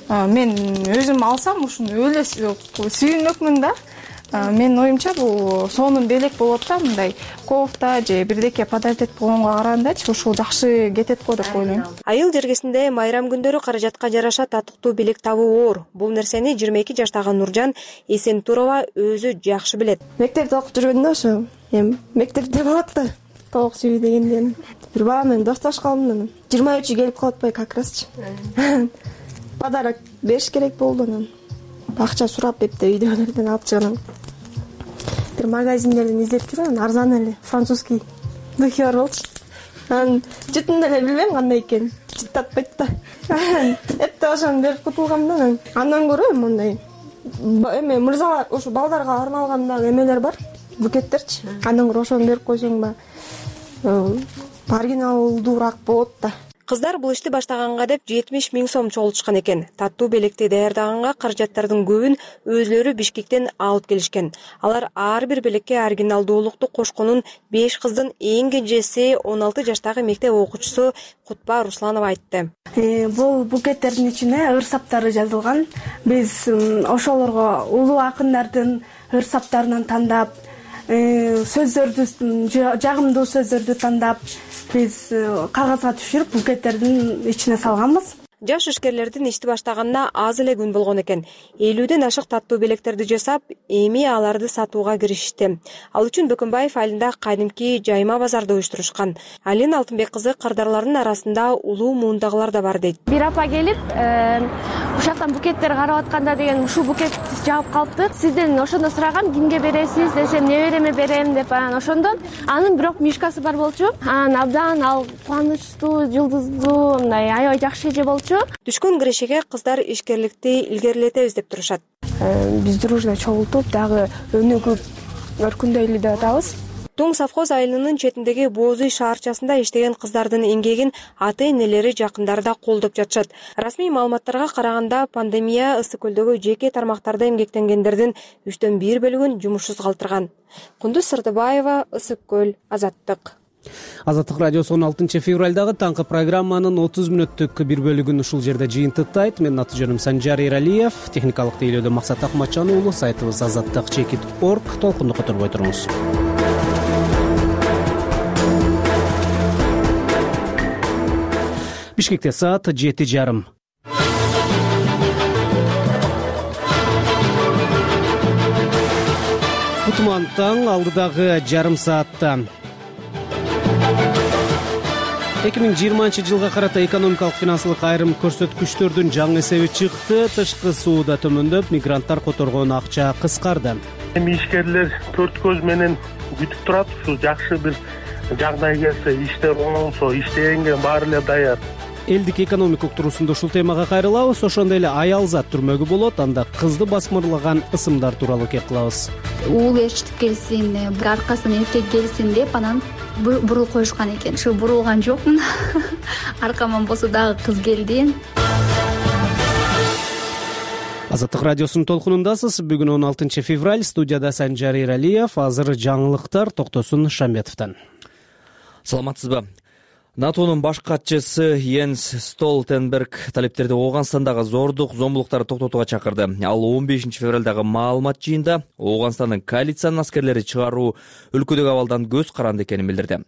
Мен өзүм алсам ушуну өлө сүйүнөкмүн да. Менин оюмча бул сонун белек болот да, мындай кофта же бирдеке подарок этип койгонго карагандачы ушул жакшы кетет го деп ойлойм. Айыл жергесинде майрам күндөрү каражатка жараша татыктуу белек табуу оор. Бул нерсени жыйырма эки жаштагы Нуржан Эсентурова өзү жакшы билет. Мектепте окуп жүргөндө ошо эми мектепте болот да, тоок сүйүү дегенден бир бала менен достошканмын. жыйырма үчү келип калып атпайбы как расчы. Подарок бериш керек болду анан. Акча сурап деп үйдөгүлөрдөн алып чыгам. Бир магазиндерден издеп жүрөм, арзан эле французский духи бар болчу. Анан жытын эле билбейм кандай экенин. Жыттатпайт да. Эпте ошону берип кутулгам да. Андан көрө мындай эме мырзалар, ошо балдарга арналган дагы эмелер бар, букеттерчи. Андан көрө ошону берип койсоң ба оригиналдуураак болот да. Кыздар бул ишти баштаганга деп жетимиш миң сом чогултушкан экен. Таттуу белекти даярдаганга каражаттардын көбүн өзлөрү Бишкектен алып келишкен. Алар ар бир белекке оригиналдуулукту кошконун беш кыздын эң кенжеси он алты жаштагы мектеп окуучусу Кутба Русланова айтты. Бул букеттердин ичине ыр саптары жазылган. Биз ошолорго улуу акындардын ыр саптарынан тандап, сөздөрдү, жагымдуу сөздөрдү тандап, биз кагазга түшүрүп букеттердин ичине салганбыз. Жаш ишкерлердин ишти баштаганына аз эле күн болгон экен. элүүдөн ашык таттуу белектерди жасап, эми аларды сатууга киришти. Ал үчүн Бөкөнбаев айылында кадимки жайма базарды уюштурушкан. Алина Алтынбек кызы кардарлардын арасында улуу муундагылар да бар дейт. Бир апа келип, ушактан букеттер карап атканда деген ушул букет жагып калыпты. Сизден ошондо сурагам, кимге бересиз десем, небереме берем деп, анан ошондон анын бирок мишкасы бар болчу. Анан абдан ал кубанычтуу, жылдыздуу, мындай аябай жакшы эже болчу. болчу. Түшкөн кирешеге кыздар ишкерликти илгерилетебиз деп турушат. Биз дружно чогултуп дагы өнүгүп өркүндөйлү деп атабыз. Туң совхоз айылынын четиндеги Боозуй шаарчасында иштеген кыздардын эмгегин ата-энелери, жакындары да колдоп жатышат. Расмий маалыматтарга караганда, пандемия Ысык көлдөгү жеке тармактарда эмгектенгендердин үчтөн бир бөлүгүн жумушсуз калтырган. Кундуз Сырдыбаева, Ысык көл, Азаттык. Азаттык радиосу он алтынчы февралдагы таңкы программанын отуз мүнөттүк бир бөлүгүн ушул жерде жыйынтыктайт. Менин аты жөнүм Санжар Эралиев, техникалык тейлөөдө Максат Акматжан уулу, сайтыбыз азаттык чекит точка орг. Толкунду которбой туруңуз. Бишкекте саат жети жарым. Кутман таң алдыдагы жарым саатта. эки миң жыйырманчы жылга карата экономикалык финансылык айрым көрсөткүчтөрдүн жаңы эсеби чыкты. Тышкы сууда төмөндөп, мигранттар которгон акча кыскарды. Эми ишкерлер төрт көз менен күтүп турат. Ушу жакшы бир жагдай келсе, иштер оңолсо, иштегенге баары эле даяр. Элдик экономика уктуруусунда ушул темага кайрылабыз. Ошондой эле аялзат түрмөгү болот. Анда кызды басмырлаган ысымдар тууралуу кеп кылабыз. Уул эшитип келсин, аркасынан эркек келсин деп анан бурулуп коюшкан экен. Ушу бурулган жокмун. Аркаман болсо дагы кыз келди. Азаттык радиосунун толкунундасыз. Бүгүн он алтынчы февраль. Студияда Санжар Эралиев. Азыр жаңылыктар Токтосун Шамбетовдон. Саламатсызбы? НАТОнун баш катчысы Йенс Столтенберг талептерди Ооганстандагы зордук, зомбулуктарды токтотууга чакырды. Ал он бешинчи февралдагы маалымат жыйында Ооганстандын коалициянын аскерлери чыгаруу өлкөдөгү абалдан көз каранды экенин билдирди.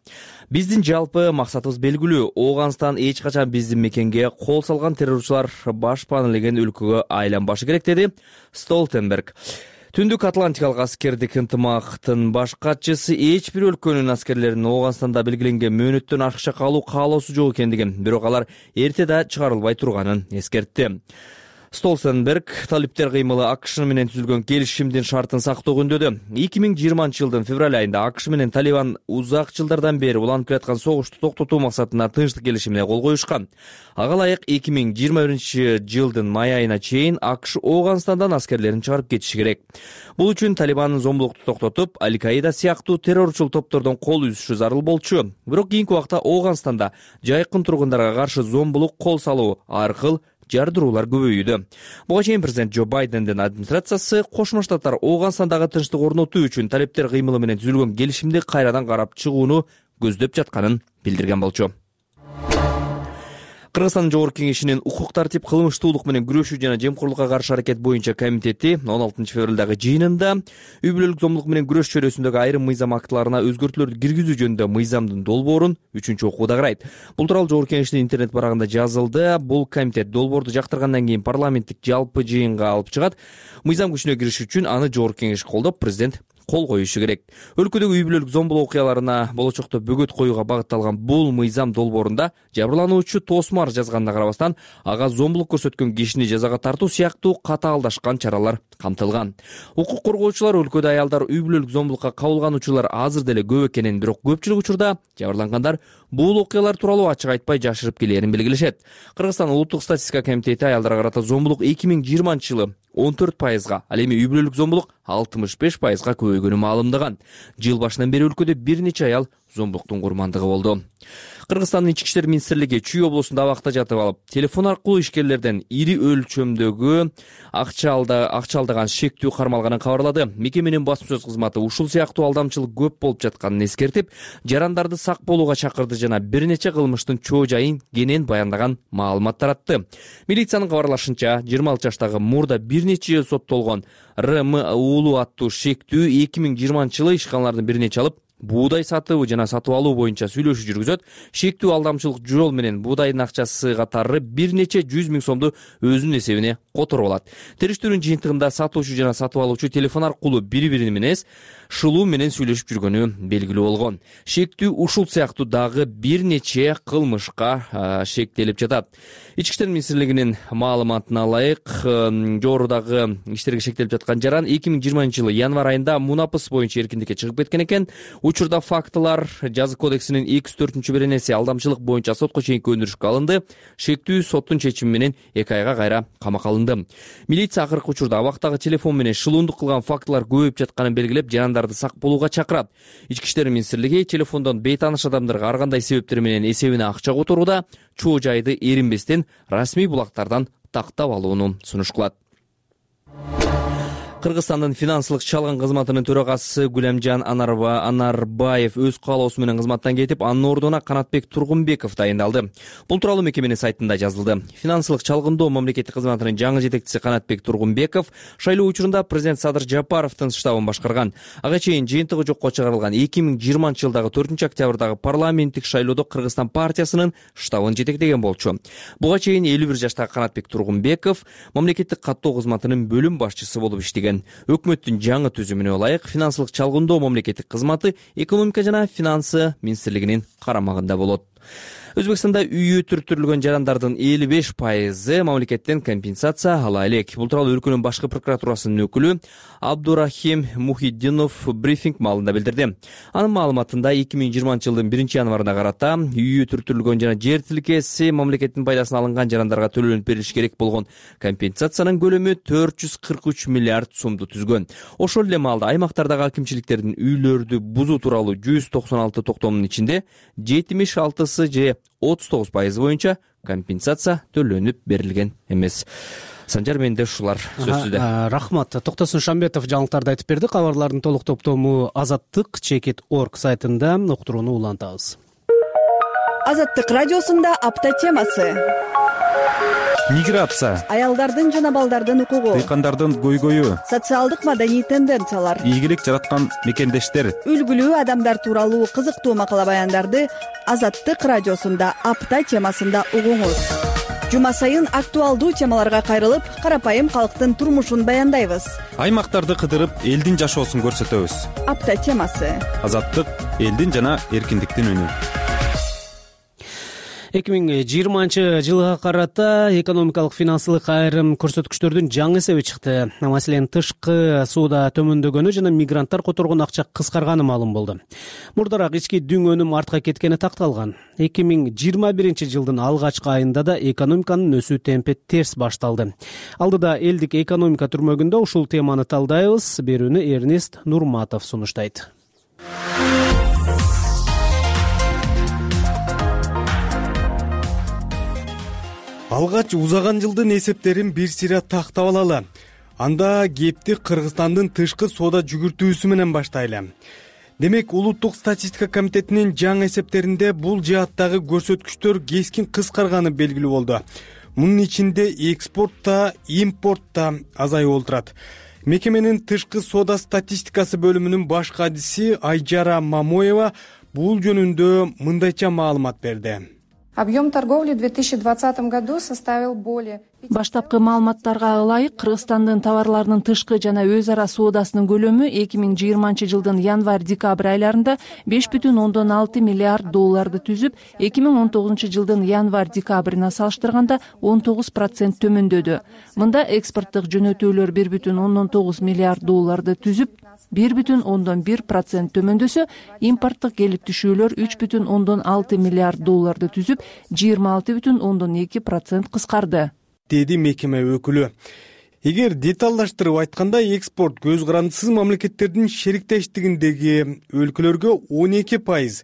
Биздин жалпы максатыбыз белгилүү. Ооганстан эч качан биздин мекенге кол салган террорчулар баш панелеген өлкөгө айланбашы керек, деди Столтенберг. Түндүк Атлантикалык аскердик ынтымактын баш катчысы эч бир өлкөнүн аскерлеринин Ооганстанда белгиленген мөөнөттөн аркыча калуу каалоосу жок экендигин, бирок алар эрте да чыгарылбай турганын эскертти. Столтенберг талиптер кыймылы АКШ менен түзүлгөн келишимдин шартын сактоо күндөдү. эки миң жыйырманчы жылдын февраль айында АКШ менен Талибан узак жылдардан бери уланып келаткан согушту токтотуу максатында тынчтык келишимине кол коюшкан. Ага ылайык эки миң жыйырма биринчи жылдын май айына чейин АКШ Ооганстандан аскерлерин чыгарып кетиши керек. Бул үчүн Талибандын зомбулукту токтотуп, Аль-Каида сыяктуу террорчул топтордон кол үзүшү зарыл болчу. Бирок кийинки убакта Ооганстанда жайкын тургундарга каршы зомбулук кол салуу аркылуу жардыруулар көбөйүүдө. Буга чейин президент Джо Байдендин администрациясы Кошмо Штаттар Ооганстандагы тынчтык орнотуу үчүн талептер кыймылы менен түзүлгөн келишимди кайрадан карап чыгууну көздөп жатканын билдирген болчу. Кыргызстандын Жогорку Кеңешинин укук тартип, кылмыштуулук менен күрөшүү жана жемкорлукка каршы аракет боюнча комитети он алтынчы февралдагы жыйынында үй бүлөлүк зомбулук менен күрөш чөйрөсүндөгү айрым мыйзам актыларына өзгөртүүлөрдү киргизүү жөнүндө мыйзамдын долбоорун үчүнчү окууда карайт. Бул тууралуу Жогорку Кеңештин интернет барагында жазылды. Бул комитет долбоорду жактыргандан кийин парламенттик жалпы жыйынга алып чыгат. Мыйзам күчүнө кириш үчүн аны Жогорку Кеңеш колдоп, президент кол коюшу керек. Өлкөдөгү үй бүлөлүк зомбулук окуяларына болочокто бөгөт коюуга багытталган бул мыйзам долбоорунда жабырлануучу тоосмар жазганына карабастан, ага зомбулук көрсөткөн кишини жазага тартуу сыяктуу катаалдашкан чаралар камтылган. Укук коргоочулар өлкөдө аялдар үй бүлөлүк зомбулукка кабылгануучулар азыр деле көп экенин, бирок көпчүлүк учурда жабырлангандар бул окуялар тууралуу ачык айтпай жашырып келээрин белгилешет. Кыргызстан улуттук статистика комитети аялдарга карата зомбулук эки миң жыйырманчы жылы он төрт пайызга, ал эми үй бүлөлүк зомбулук алтымыш беш пайызга көбөйгөнү маалымдаган. Жыл башынан бери өлкөдө бир нече аял зомбулуктун курмандыгы болду. Кыргызстандын Ички иштер министрлиги Чүй облусунда абакта жатып алып, телефон аркылуу ишкерлерден ири өлчөмдөгү акча алдаган шектүү кармалганын кабарлады. Мекеменин басма сөз кызматы ушул сыяктуу алдамчылык көп болуп жатканын эскертип, жарандарды сак болууга чакырды жана бир нече кылмыштын чоо жайын кенен баяндаган маалымат таратты. Милициянын кабарлашынча, жыйырма алты жаштагы мурда бир нече жыл соттолгон Р М уулу аттуу шектүү эки миң жыйырманчы жылы ишканалардын биринечи алып, буудай сатуу жана сатып алуу боюнча сүйлөшүү жүргүзөт. Шектүү алдамчылык жол менен буудайдын акчасы катары бир нече жүз миң сомду өзүнүн эсебине которуп алат. Териштирүүнүн жыйынтыгында сатуучу жана сатып алуучу телефон аркылуу бири-бири менен шылуу менен сүйлөшүп жүргөнү белгилүү болгон. Шектүү ушул сыяктуу дагы бир нече кылмышка шектелип жатат. Ички иштер министрлигинин маалыматына ылайык, жогорудагы иштерге шектелип жаткан жаран эки миң жыйырманчы жылы январь айында Мунапыс боюнча эркиндикке чыгып кеткен экен. Учурда фактылар жазык кодексинин эки жүз төртүнчү беренеси алдамчылык боюнча сотко чейинки өндүрүшкө алынды. Шектүү соттун чечими менен эки айга кайра камакка алынды. Милиция акыркы учурда абактагы телефон менен шылуундук кылган фактылар көбөйүп жатканын белгилеп, жарандарды сак болууга чакырат. Ички иштер министрлиги телефондон бейтааныш адамдарга ар кандай себептер менен эсебине акча которууда чоо жайды эринбестен расмий булактардан тактап алууну сунуш кылат. Кыргызстандын финансылык чалгын кызматынын төрагасы Гүлемжан Анарбаев өз каалоосу менен кызматтан кетип, анын ордуна Канатбек Тургунбеков дайындалды. Бул тууралуу мекеменин сайтында жазылды. Финансылык чалгындоо мамлекеттик кызматынын жаңы жетекчиси Канатбек Тургунбеков шайлоо учурунда президент Садыр Жапаровдун штабын башкарган. Ага чейин жыйынтыгы жокко чыгарылган эки миң жыйырманчы жылдагы төртүнчү октябрдагы парламенттик шайлоодо Кыргызстан партиясынын штабын жетектеген болчу. Буга чейин элүү бир жаштагы Канатбек Тургунбеков мамлекеттик каттоо кызматынын бөлүм башчысы болуп иштеген. Өкмөттүн жаңы түзүмүнө ылайык финансылык чалгындоо мамлекеттик кызматы экономика жана финансы министрлигинин карамагында болот. Өзбекстанда үйү түртүрүлгөн жарандардын элүү беш пайызы мамлекеттен компенсация ала элек. Бул тууралуу өлкөнүн башкы прокуратурасынын өкүлү Абдурахим Мухиддинов брифинг маалында билдирди. Анын маалыматында эки миң жыйырманчы жылдын биринчи январына карата үйү түртүрүлгөн жана жер тилкеси мамлекеттин пайдасына алынган жарандарга төлөнүп берилиш керек болгон компенсациянын көлөмү төрт жүз кырк үч миллиард сомду түзгөн. Ошол эле маалда аймактардагы акимчиликтердин үйлөрдү бузуу тууралуу жүз токсон алты токтомдун ичинде жетимиш алтысы же отуз тогуз пайыз боюнча компенсация төлөнүп берилген эмес. Санжар, менде ушулар сөзсүздө. Рахмат. Токтосун Шамбетов жаңылыктарды айтып берди. Кабарлардын толук топтому Азаттык чекит точка орг сайтында уктурууну улантабыз. Азаттык радиосунда апта темасы. Миграция, аялдардын жана балдардын укугу, дыйкандардын көйгөйү, социалдык маданий тенденциялар, ийгилик жараткан мекендештер, үлгүлүү адамдар тууралуу кызыктуу макала баяндарды Азаттык радиосунда апта темасында угуңуз. Жума сайын актуалдуу темаларга кайрылып, карапайым калктын турмушун баяндайбыз. Аймактарды кыдырып, элдин жашоосун көрсөтөбүз. Апта темасы. Азаттык, элдин жана эркиндиктин үнү. эки миң жыйырманчы жылга карата экономикалык финансылык айрым көрсөткүчтөрдүн жаңы эсеби чыкты. Маселен, тышкы сууда төмөндөгөнү жана мигранттар которгон акча кыскарганы маалым болду. Мурдараак ички дүң өнүм артка кеткени такталган. эки миң жыйырма биринчи жылдын алгачкы айында да экономиканын өсүү темпи терс башталды. Алдыда элдик экономика түрмөгүндө ушул теманы талдайбыз. Берүүнү Эрнест Нурматов сунуштайт. Алгач узаган жылдын эсептерин бир сыйра тактап алалы. Анда кепти Кыргызстандын тышкы соода жүгүртүүсү менен баштайлы. Демек, Улуттук статистика комитетинин жаңы эсептеринде бул жааттагы көрсөткүчтөр кескин кыскарганы белгилүү болду. Мунун ичинде экспортто, импортто азаюу болуп турат. Мекеменин тышкы соода статистикасы бөлүмүнүн баш кадиси Айжара Мамоева бул жөнүндө мындайча маалымат берди. Объем торговли в две тысячи двадцатом году составил более... Баштапкы маалыматтарга ылайык, Кыргызстандын товарларынын тышкы жана өз ара соодасынын көлөмү эки миң жыйырманчы жылдын январь-декабрь айларында беш бүтүн ондон алты миллиард долларды түзүп, эки миң он тогузунчу жылдын январь-декабрына салыштырганда он тогуз процент төмөндөдү. Мында экспорттук жөнөтүүлөр бир бүтүн ондон тогуз миллиард долларды түзүп, бир бүтүн ондон бир процент төмөндөсө, импорттук келип түшүүлөр үч бүтүн ондон алты миллиард долларды түзүп, жыйырма алты бүтүн ондон эки процент кыскарды, деди мекеме өкүлү. Эгер деталдаштырып айтканда, экспорт көз карандысыз мамлекеттердин шериктештигиндеги өлкөлөргө он эки пайыз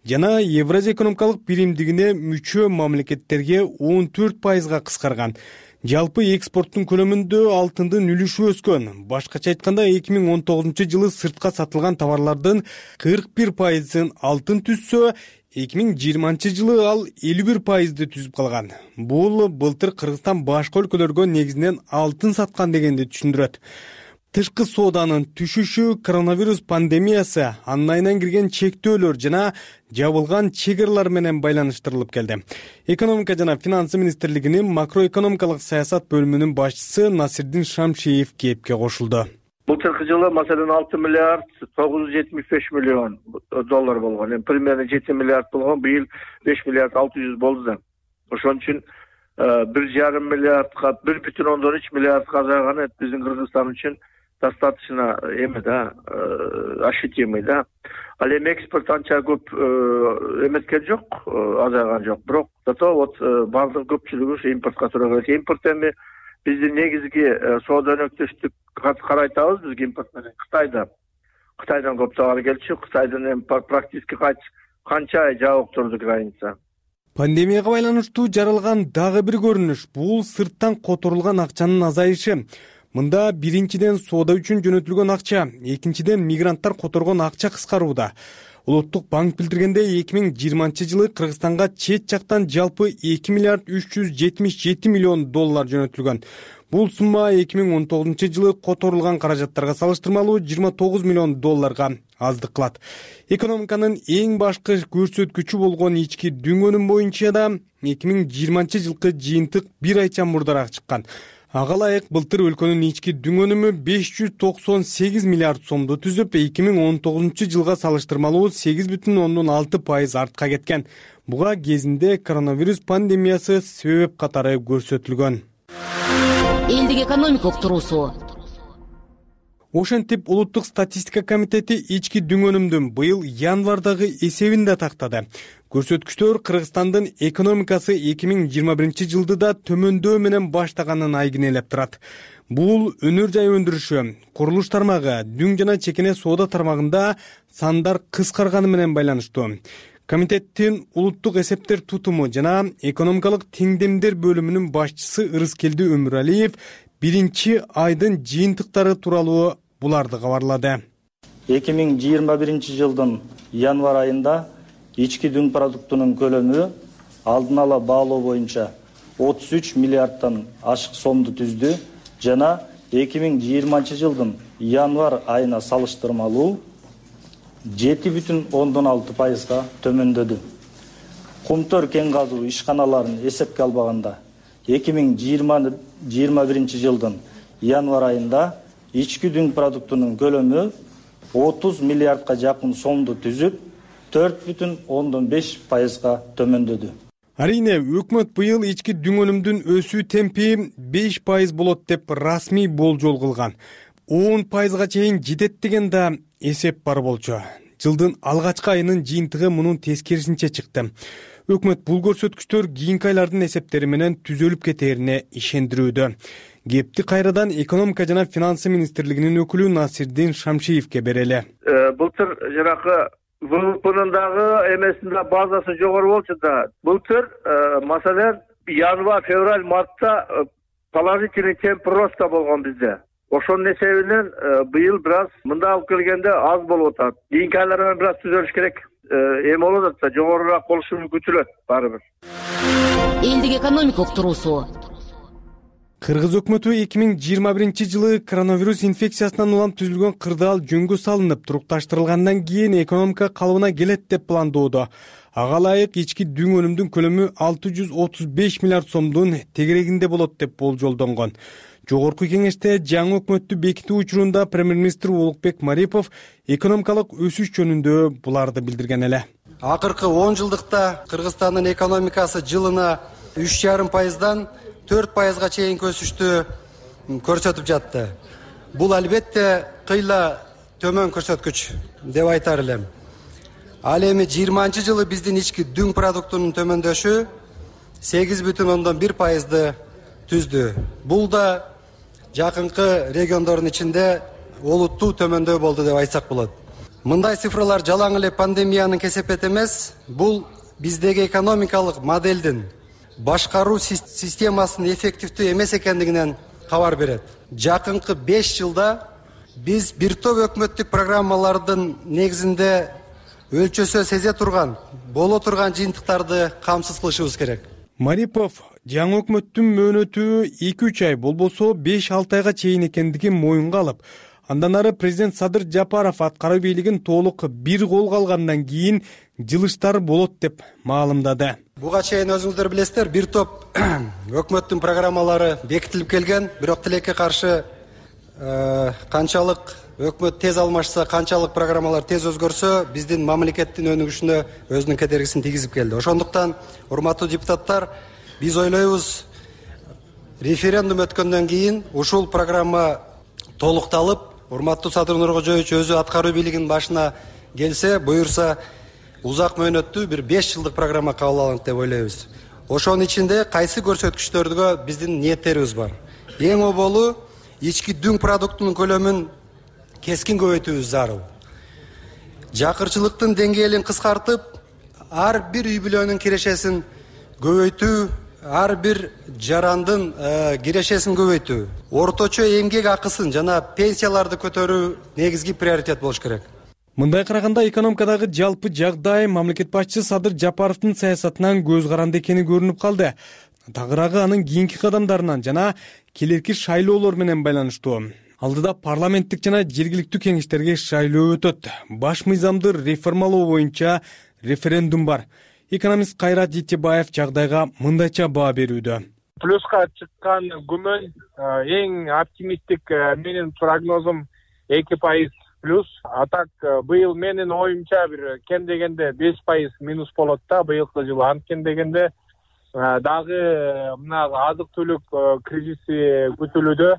жана Евразия экономикалык биримдигине мүчө мамлекеттерге он төрт пайызга кыскарган. Жалпы экспорттун көлөмүндө алтындын үлүшү өскөн. Башкача айтканда, эки миң он тогузунчу жылы сыртка сатылган товарлардын кырк бир пайызын алтын түзсө, эки миң жыйырманчы жылы ал элүү бир пайызды түзүп калган. Бул былтыр Кыргызстан башка өлкөлөргө негизинен алтын саткан дегенди түшүндүрөт. Тышкы сооданын түшүшү коронавирус пандемиясы, анын айынан кирген чектөөлөр жана жабылган чек аралар менен байланыштырылып келди. Экономика жана финансы министрлигинин макроэкономикалык саясат бөлүмүнүн башчысы Насирдин Шамшиев кепке кошулду. Былтыркы жылы маселен алты миллиард тогуз жүз жетимиш беш миллион доллар болгон. Эми примерно жети миллиард болгон, быйыл беш миллиард алты жүз болду да. Ошон үчүн бир жарым миллиардка, бир бүтүн ондон үч миллиардка азайганы биздин Кыргызстан үчүн достаточно эме да, ощутимый да. Ал эми экспорт анча көп эметкен жок, азайган жок. Бирок зато вот бардык көпчүлүгү ушу импортко туура келет. Импорт эми биздин негизги соода өнөктөштүк карайтабыз биз импорт менен Кытайда. Кытайдан көп товар келчү. Кытайдан эми практически канча ай жабык турду граница. Пандемияга байланыштуу жаралган дагы бир көрүнүш бул сырттан которулган акчанын азайышы. Мында биринчиден соода үчүн жөнөтүлгөн акча, экинчиден мигранттар которгон акча кыскарууда. Улуттук банк билдиргендей эки миң жыйырманчы жылы Кыргызстанга чет жактан жалпы эки миллиард үч жүз жетимиш жети миллион доллар жөнөтүлгөн. Бул сумма эки миң он тогузунчу жылы которулган каражаттарга салыштырмалуу жыйырма тогуз миллион долларга аздык кылат. Экономиканын эң башкы көрсөткүчү болгон ички дүң өнүм боюнча да эки миң жыйырманчы жылкы жыйынтык бир айча мурдараак чыккан. Ага ылайык былтыр өлкөнүн ички дүң өнүмү беш жүз токсон сегиз миллиард сомду түзүп, эки миң он тогузунчу жылга салыштырмалуу сегиз бүтүн ондон алты пайыз артка кеткен. Буга кезинде коронавирус пандемиясы себеп катары көрсөтүлгөн. Элдик экономика уктуруусу. Ошентип Улуттук статистика комитети ички дүң өнүмдүн быйыл январдагы эсебин да тактады. Көрсөткүчтөр Кыргызстандын экономикасы эки миң жыйырма биринчи жылды да төмөндөө менен баштаганын айгинелеп турат. Бул өнөр жай өндүрүшү, курулуш тармагы, дүң жана чекене соода тармагында сандар кыскарганы менен байланыштуу. Комитеттин улуттук эсептер тутуму жана экономикалык теңдемдер бөлүмүнүн башчысы Ырыскелди Өмүралиев биринчи айдын жыйынтыктары тууралуу буларды кабарлады. эки миң жыйырма биринчи жылдын январь айында ички дүң продуктунун көлөмү алдын ала баалоо боюнча отуз үч миллиардтан ашык сомду түздү жана эки миң жыйырманчы жылдын январь айына салыштырмалуу жети бүтүн ондон алты пайызга төмөндөдү. Кумтөр кен казуу ишканаларын эсепке албаганда эки миң жыйырма биринчи жылдын январь айында ички дүң продуктунун көлөмү отуз миллиардка жакын сомду түзүп, төрт бүтүн ондон беш пайызга төмөндөдү. Арине, өкмөт быйыл ички дүң өнүмдүн өсүү темпи беш пайыз болот деп расмий болжол кылган. он пайызга чейин жетет деген да эсеп бар болчу. Жылдын алгачкы айынын жыйынтыгы мунун тескерисинче чыкты. Өкмөт бул көрсөткүчтөр кийинки айлардын эсептери менен түзөлүп кетерине ишендирүүдө. Кепти кайрадан экономика жана финансы министрлигинин өкүлү Насирдин Шамшиевке берели. Былтыр жанакы ВВПнын дагы эмесинде базасы жогору болчу да. Былтыр маселен январь, февраль, мартта положительный темп роста болгон бизде. Ошонун эсебинен быйыл бир аз мында алып келгенде аз болуп атат. Кийинки айларда бир аз түзөлүш керек. Эми болуп атат, жогорураак болушу күтүлөт баары бир. Элдик экономика уктуруусу. Кыргыз өкмөтү эки миң жыйырма биринчи жылы коронавирус инфекциясынан улам түзүлгөн кырдаал жөнгө салынып, турукташтырылгандан кийин экономика калыбына келет деп пландоодо. Ага ылайык ички дүң өнүмдүн көлөмү алты жүз отуз беш миллиард сомдун тегерегинде болот деп болжолдонгон. Жогорку кеңеште жаңы өкмөттү бекитүү учурунда премьер-министр Улукбек Марипов экономикалык өсүш жөнүндө буларды билдирген эле. Акыркы он жылдыкта Кыргызстандын экономикасы жылына үч жарым пайыздан төрт пайызга чейин өсүштү көрсөтүп жатты. Бул албетте кыйла төмөн көрсөткүч деп айтар элем. Ал эми жыйырманчы жылы биздин ички дүң продуктунун төмөндөшү сегиз бүтүн ондон бир пайызды түздү. Бул да жакынкы региондордун ичинде олуттуу төмөндөө болду деп айтсак болот. Мындай цифралар жалаң эле пандемиянын кесепети эмес, бул биздеги экономикалык моделдин башкаруу системасынын эффективдүү эмес экендигинен кабар берет. Жакынкы беш жылда биз бир топ өкмөттүк программалардын негизинде өлчөсө сезе турган, боло турган жыйынтыктарды камсыз кылышыбыз керек. Марипов жаңы өкмөттүн мөөнөтү эки үч ай болбосо беш алты айга чейин экендигин моюнга алып, андан ары президент Садыр Жапаров аткаруу бийлигин толук бир колго алгандан кийин жылыштар болот деп маалымдады. Буга чейин өзүңүздөр билесиздер, бир топ өкмөттүн программалары бекитилип келген, бирок тилекке каршы канчалык өкмөт тез алмашса, канчалык программалар тез өзгөрсө, биздин мамлекеттин өнүгүшүнө өзүнүн кедергисин тийгизип келди. Ошондуктан, урматтуу депутаттар, биз ойлойбуз, референдум өткөндөн кийин ушул программа толукталып, урматтуу Садыр Нуркожоевич өзү аткаруу бийлигинин башына келсе, буюрса узак мөөнөттүү бир беш жылдык программа кабыл алынат деп ойлойбуз. Ошонун ичинде кайсы көрсөткүчтөргө биздин ниеттерибиз бар. Эң оболу ички дүң продуктунун көлөмүн кескин көбөйтүүбүз зарыл. Жакырчылыктын деңгээлин кыскартып, ар бир үй бүлөнүн кирешесин көбөйтүү, ар бир жарандын кирешесин көбөйтүү, орточо эмгек акысын жана пенсияларды көтөрүү негизги приоритет болуш керек. Мындай караганда экономикадагы жалпы жагдай мамлекет башчысы Садыр Жапаровдун саясатынан көз каранды экени көрүнүп калды. Тагыраагы анын кийинки кадамдарынан жана келерки шайлоолор менен байланыштуу. Алдыда парламенттик жана жергиликтүү кеңештерге шайлоо өтөт. Баш мыйзамды реформалоо боюнча референдум бар. Экономист Кайрат Житебаев жагдайга мындайча баа берүүдө. Плюска чыккан күмөн эң оптимисттик менин прогнозум эки пайыз плюс. А так быйыл менин оюмча бир кем дегенде беш пайыз минус болот да быйылкы жылы. Анткени дегенде дагы мына азык-түлүк кризиси күтүлүүдө.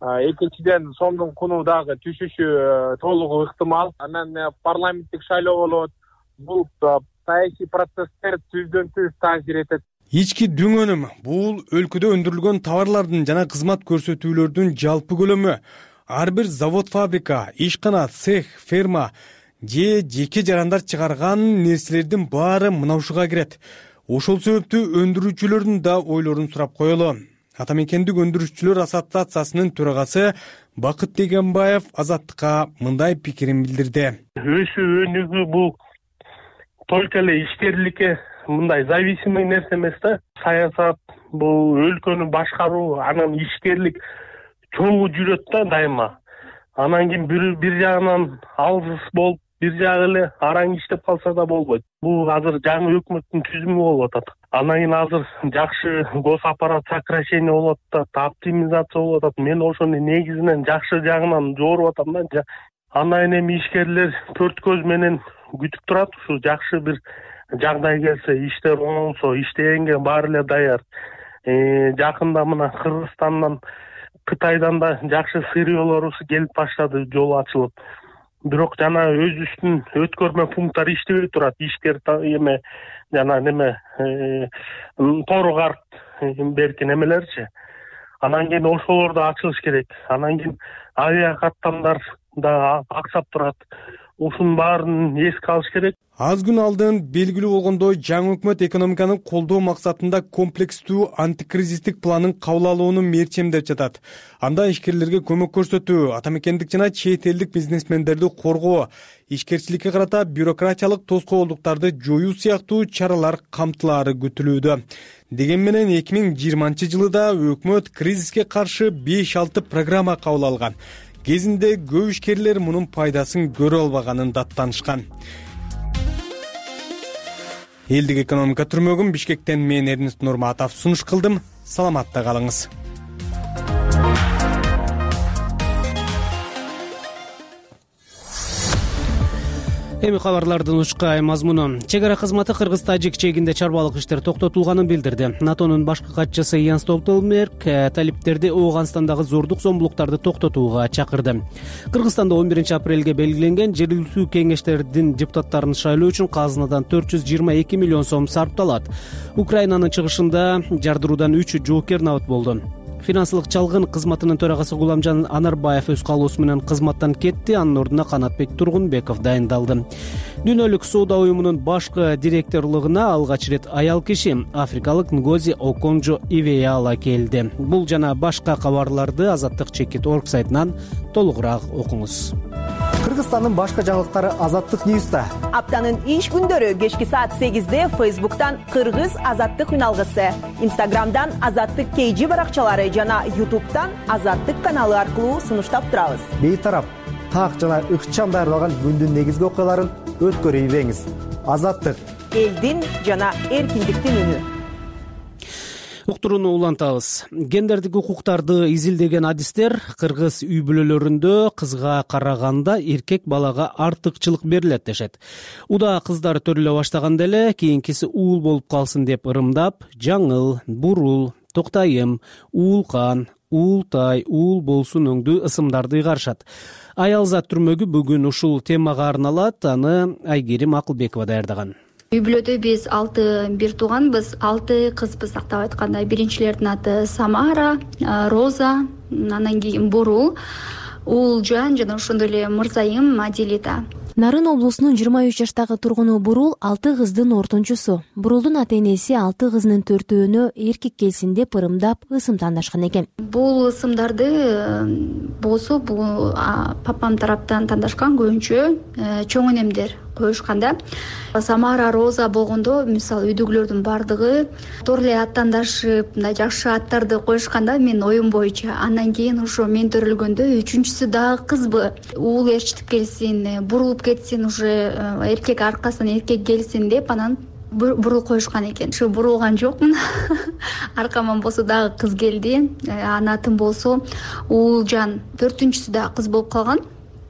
Экинчиден сомдун куну дагы түшүшү толугу ыктымал. Анан парламенттик шайлоо болот. Бул саясий процесстер түздөн түз таасир этет. Ички дүң өнүм бул өлкөдө өндүрүлгөн товарлардын жана кызмат көрсөтүүлөрдүн жалпы көлөмү. Ар бир завод, фабрика, ишкана, цех, ферма же жеке жарандар чыгарган нерселердин баары мына ушуга кирет. Ошол себептүү өндүрүүчүлөрдүн да ойлорун сурап коелу. Ата мекендик өндүрүүчүлөр ассоциациясынын төрагасы Бакыт Дегенбаев Азаттыкка мындай пикирин билдирди. Өсүү өнүгүү бул только эле ишкерликке мындай зависимый нерсе эмес да. Саясат бул өлкөнү башкаруу, анан ишкерлик чогуу жүрөт да дайыма. Анан кийин бир бир жагынан алсыз болуп, бир жагы эле араң иштеп калса да болбойт. Бул азыр жаңы өкмөттүн түзүмү болуп атат. Анан кийин азыр жакшы госаппарат сокращение болуп атат, оптимизация болуп атат. Мен ошону негизинен жакшы жагынан жооруп атам да. Андан эми ишкерлер төрт көз менен күтүп турат. Ушу жакшы бир жагдай келсе, иштер оңолсо, иштегенге баары эле даяр. Жакында мына Кыргызстандан, Кытайдан да жакшы сырьёлорубуз келип баштады, жол ачылып. Бирок жана өзүбүздүн өткөрмө пункттар иштебей турат. Ишкер эме жана неме тору карт берки немелерчи. Анан кийин ошолорду ачылыш керек. Анан кийин авиа каттамдар да аксап турат. Ушунун баарын эске алыш керек. Аз күн алдын белгилүү болгондой, жаңы өкмөт экономиканы колдоо максатында комплекстүү антикризистик планын кабыл алууну мерчемдеп жатат. Анда ишкерлерге көмөк көрсөтүү, ата мекендик жана чет элдик бизнесмендерди коргоо, ишкерчиликке карата бюрократиялык тоскоолдуктарды жоюу сыяктуу чаралар камтылаары күтүлүүдө. Деген менен эки миң жыйырманчы жылы да өкмөт кризиске каршы беш алты программа кабыл алган. Кезинде көп ишкерлер мунун пайдасын көрө албаганын даттанышкан. Элдик экономика түрмөгүн Бишкектен мен Эрнест Нурматов сунуш кылдым. Саламатта калыңыз. Эми кабарлардын учкай мазмуну. Чек ара кызматы Кыргыз-Тажик чегинде чарбалык иштер токтотулганын билдирди. НАТОнун башкы катчысы Ян Столтенберг талиптерди Ооганстандагы зордук зомбулуктарды токтотууга чакырды. Кыргызстанда он биринчи апрелге белгиленген жергиликтүү кеңештердин депутаттарын шайлоо үчүн казынадан төрт жүз жыйырма эки миллион сом сарпталат. Украинанын чыгышында жардыруудан үч жоокер набыт болду. Финансылык чалгын кызматынын төрагасы Гуламжан Анарбаев өз каалоосу менен кызматтан кетти, анын ордуна Канатбек Тургунбеков дайындалды. Дүйнөлүк соода уюмунун башкы директорлугуна алгач ирет аял киши африкалык Нгози Оконжо Ивеяла келди. Бул жана башка кабарларды Азаттык чекит орг сайтынан толугураак окуңуз. Кыргызстандын башка жаңылыктары Азаттык Ньюста. Аптанын иш күндөрү кечки саат сегизде Фейсбуктан Кыргыз Азаттык үналгысы, Инстаграмдан Азаттык кей жи баракчалары жана Ютубтан Азаттык каналы аркылуу сунуштап турабыз. Бейтарап, так жана ыкчам даярдалган күндүн негизги окуяларын өткөрүй бериңиз. Азаттык элдин жана эркиндиктин үнү. Уктурууну улантабыз. Гендердик укуктарды изилдеген адистер кыргыз үй бүлөлөрүндө кызга караганда эркек балага артыкчылык берилет дешет. Уда кыздар төрөлө баштаганда эле кийинкиси уул болуп калсын деп ырымдап, жаңыл, бурул, токтайым, уулкан, уултай, уул болсун өңдүү ысымдарды ыйгарышат. Аял зат түрмөгү бүгүн ушул темага арналат. Аны Айгерим Акылбекова даярдаган. Үй бүлөдө биз алты бир тууганбыз, алты кызбыз тактап айтканда. Биринчилердин аты Самара, Роза, анан кийин Бурул, Уулжан жана ошондой эле Мырзайым Адилита. Нарын облусунун жыйырма үч жаштагы тургуну Бурул алты кыздын ортончусу. Бурулдун ата-энеси алты кызынын төртөөнө эркек келсин деп ырымдап ысым тандашкан экен. Бул ысымдарды болсо бул папам тараптан тандашкан, көбүнчө чоң энемдер коюшканда. Самара, Роза болгондо мисалы үйдөгүлөрдүн бардыгы туура эле ат тандашып, мындай жакшы аттарды коюшканда менин оюм боюнча. Андан кийин ошо мен төрөлгөндө үчүнчүсү дагы кызбы. Уул ээрчитип келсин, бурулуп кетсин, уже эркек аркасынан эркек келсин деп анан бурул коюшкан экен. Ушу бурулган жокмун. Аркаман болсо дагы кыз келди. Анын атын болсо Уулжан. Төртүнчүсү дагы кыз болуп калган.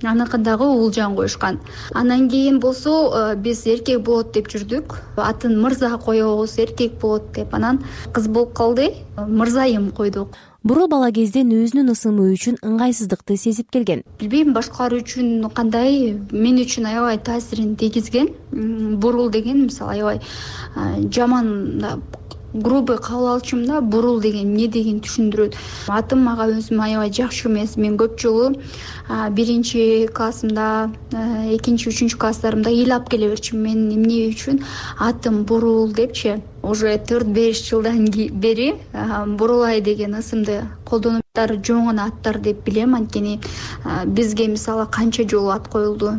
Аныкын дагы Уулжан коюшкан. Андан кийин болсо биз эркек болот деп жүрдүк. Атын Мырза коебуз, эркек болот деп. Анан кыз болуп калды. Мырзайым койдук. Бурул бала кезден өзүнүн ысымы үчүн ыңгайсыздыкты сезип келген. Билбейм башкалар үчүн кандай, мен үчүн аябай таасирин тийгизген. Бурул деген мисалы аябай жаман, грубый кабыл алчумун да, бурул деген эмне деген түшүндүрөт. Атым мага өзүм аябай жакшы эмес. Мен көп жолу биринчи классымда, экинчи, үчүнчү класстарымда ыйлап келе берчүмүн. Мен эмне үчүн атым Бурул депчи. Уже төрт беш жылдан бери Бурулай деген ысымды колдонуп жоң гана аттар деп билем. Анткени бизге мисалы канча жолу ат коюлду.